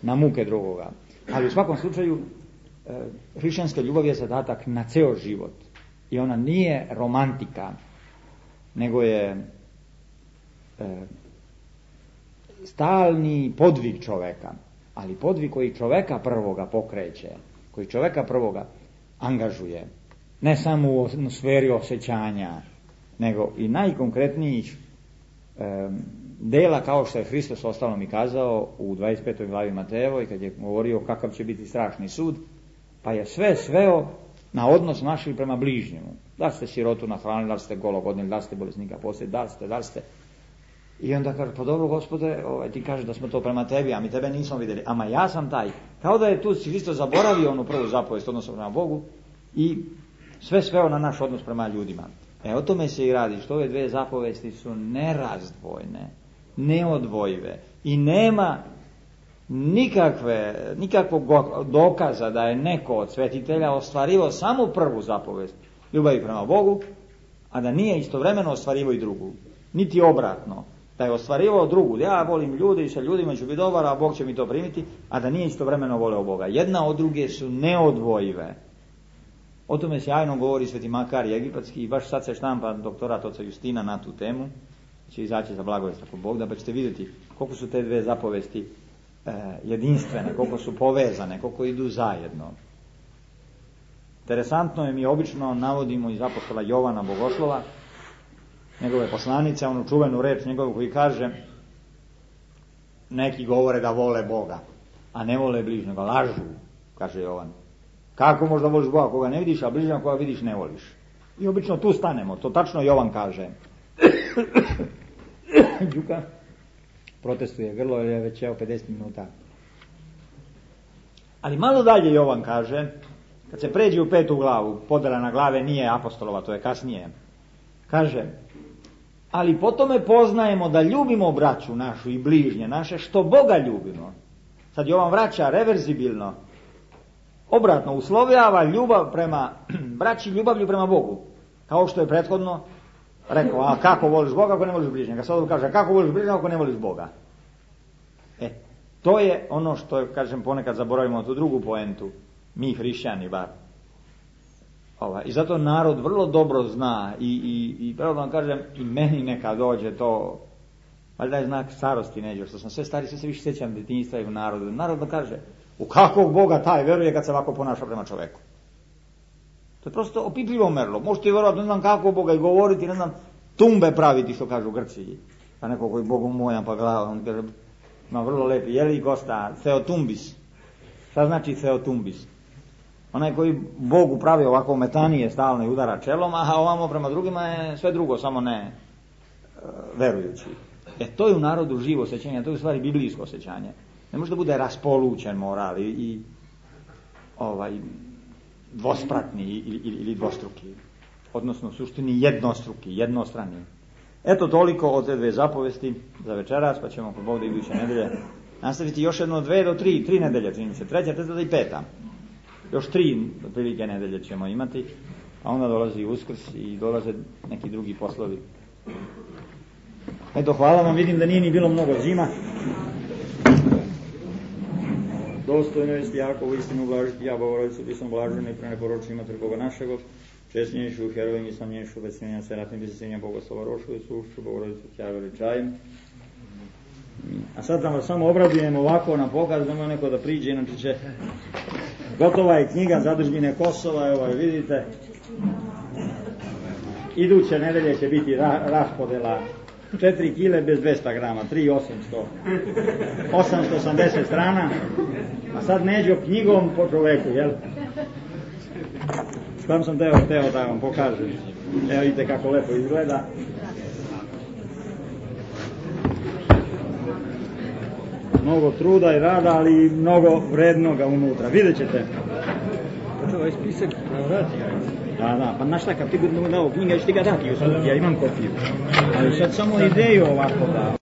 na muke drugoga. Ali u svakom slučaju e, hrišćanska ljubav je zadatak na ceo život. I ona nije romantika, nego je e, stalni podvig čoveka. Ali podvig koji čoveka prvoga pokreće, koji čoveka prvoga angažuje. Ne samo u sferi osjećanja, nego i najkonkretnijih e, dela, kao što je Hristos ostalom i kazao u dvadeset petoj glavi Matejevoj, kad je govorio kakav će biti strašni sud, pa je sve sveo na odnos našli prema bližnjemu. Da li ste sirotu nahranili, da li ste golog odnijeli, da li ste bolesnika posjetili, da li ste, da li ste. I onda kaže, pa dobro Gospode, ovaj, ti kažeš da smo to prema tebi, a mi tebe nismo vidjeli. Ama ja sam taj. Kao da je tu Hristos zaboravio onu prvu zapovest odnosno prema Bogu i sve sveo na naš odnos prema ljudima. E, o tome se i radi, što ove dve zapovesti su nerazdvojne, neodvojive i nema nikakve, nikakvog dokaza da je neko od svetitelja ostvarivao samo prvu zapovest ljubavi prema Bogu, a da nije istovremeno ostvarivao i drugu. Niti obratno, da je ostvarivao drugu, ja volim ljude i sa ljudima ću biti dobar, a Bog će mi to primiti, a da nije istovremeno voleo Boga. Jedna od druge su neodvojive. O tome sjajno govori Sveti Makarij Egipatski i baš sad se štampa doktorat oca Justina na tu temu, će izaći za blagovest ako Bog da, pa ćete vidjeti koliko su te dve zapovesti e, jedinstvene, koliko su povezane, koliko idu zajedno. Interesantno je, mi obično navodimo iz apostola Jovana Bogoslova, njegove poslanice, onu čuvenu reč njegovu koji kaže, neki govore da vole Boga, a ne vole bližnjega, lažu, kaže Jovan. Kako možda voliš Boga koga ne vidiš, a bližnjega koga vidiš ne voliš? I obično tu stanemo, to tačno Jovan kaže. Đuka protestuje, grlo je već evo pedeset minuta. Ali malo dalje Jovan kaže, kad se pređe u petu glavu, podela na glave nije apostolova, to je kasnije, kaže, ali po tome poznajemo da ljubimo braću našu i bližnje naše, što Boga ljubimo. Sad Jovan vraća reverzibilno, obratno uslovljava ljubav prema braći ljubavlju prema Bogu. Kao što je prethodno rekao, a kako voliš Boga ako ne voliš bližnjega? Sad kaže, kako voliš bližnjega ako ne voliš Boga? E, to je ono što, kažem, ponekad zaboravimo tu drugu poentu, mi hrišćani bar. Ova, i zato narod vrlo dobro zna i, i, i pravo vam kažem, i meni neka dođe to, valjda je znak starosti neđe, što sam sve stari, sve se više sjećam djetinjstva i u narodu. Narod da kaže, u kakvog Boga taj veruje kad se ovako ponaša prema čoveku? To je prosto opipljivo merlo. Možete i vjerovati, ne znam kako Boga i govoriti, ne znam, tumbe praviti, što kažu Grci. Pa neko koji Bogom mojan pa glava, on kaže, ima vrlo lepi, jeli gosta, Theotumbis. Šta znači Theotumbis? Onaj koji Bogu pravi ovako metanije stalno i udara čelom, a ovamo prema drugima je sve drugo, samo ne e, verujući. E to je u narodu živo osjećanje, to je u stvari biblijsko osjećanje. Ne može da bude raspolućen moral i, i ovaj, dvospratni ili, ili, ili dvostruki. Odnosno u suštini jednostruki, jednostrani. Eto toliko od te dve zapovesti za večeras, pa ćemo po Bogu da iduće nedelje nastaviti još jedno dve do tri, tri nedelje, čini se, treća, četvrta i peta. Još tri prilike nedelje ćemo imati, a onda dolazi Uskrs i dolaze neki drugi poslovi. Eto, hvala vam, vidim da nije ni bilo mnogo zima. Dostojno je jako u istinu blažiti, ja Bogorodicu, ti sam blaženi, preneporočni mater Boga našego, česnješu, herovim i samnješu, vesnjenja, seratnim, besesenja, Bogoslova rošu, i sušću, Bogorodicu, tja veličajem. A sad da samo obradujem ovako na pokaz, da neko da priđe, inače će... Gotova je knjiga Zadužbine Kosova, evo je vidite. Iduće nedelje će biti ra raspodela četiri kile bez dvesta grama, tri tisuće osamsto. osamsto osamdeset strana, a sad Neđo knjigom po čoveku, jel? Sam sam teo, teo da vam pokažem. Evo vidite kako lepo izgleda. Mnogo truda i rada, ali mnogo vrednoga unutra. Vidjet ćete. Pa ovaj spisak na vrati. Da, da, pa znaš šta, kad ti budemo dao knjiga, ću ti ga dati, ja imam kopiju. Ali sad samo ideju ovako da...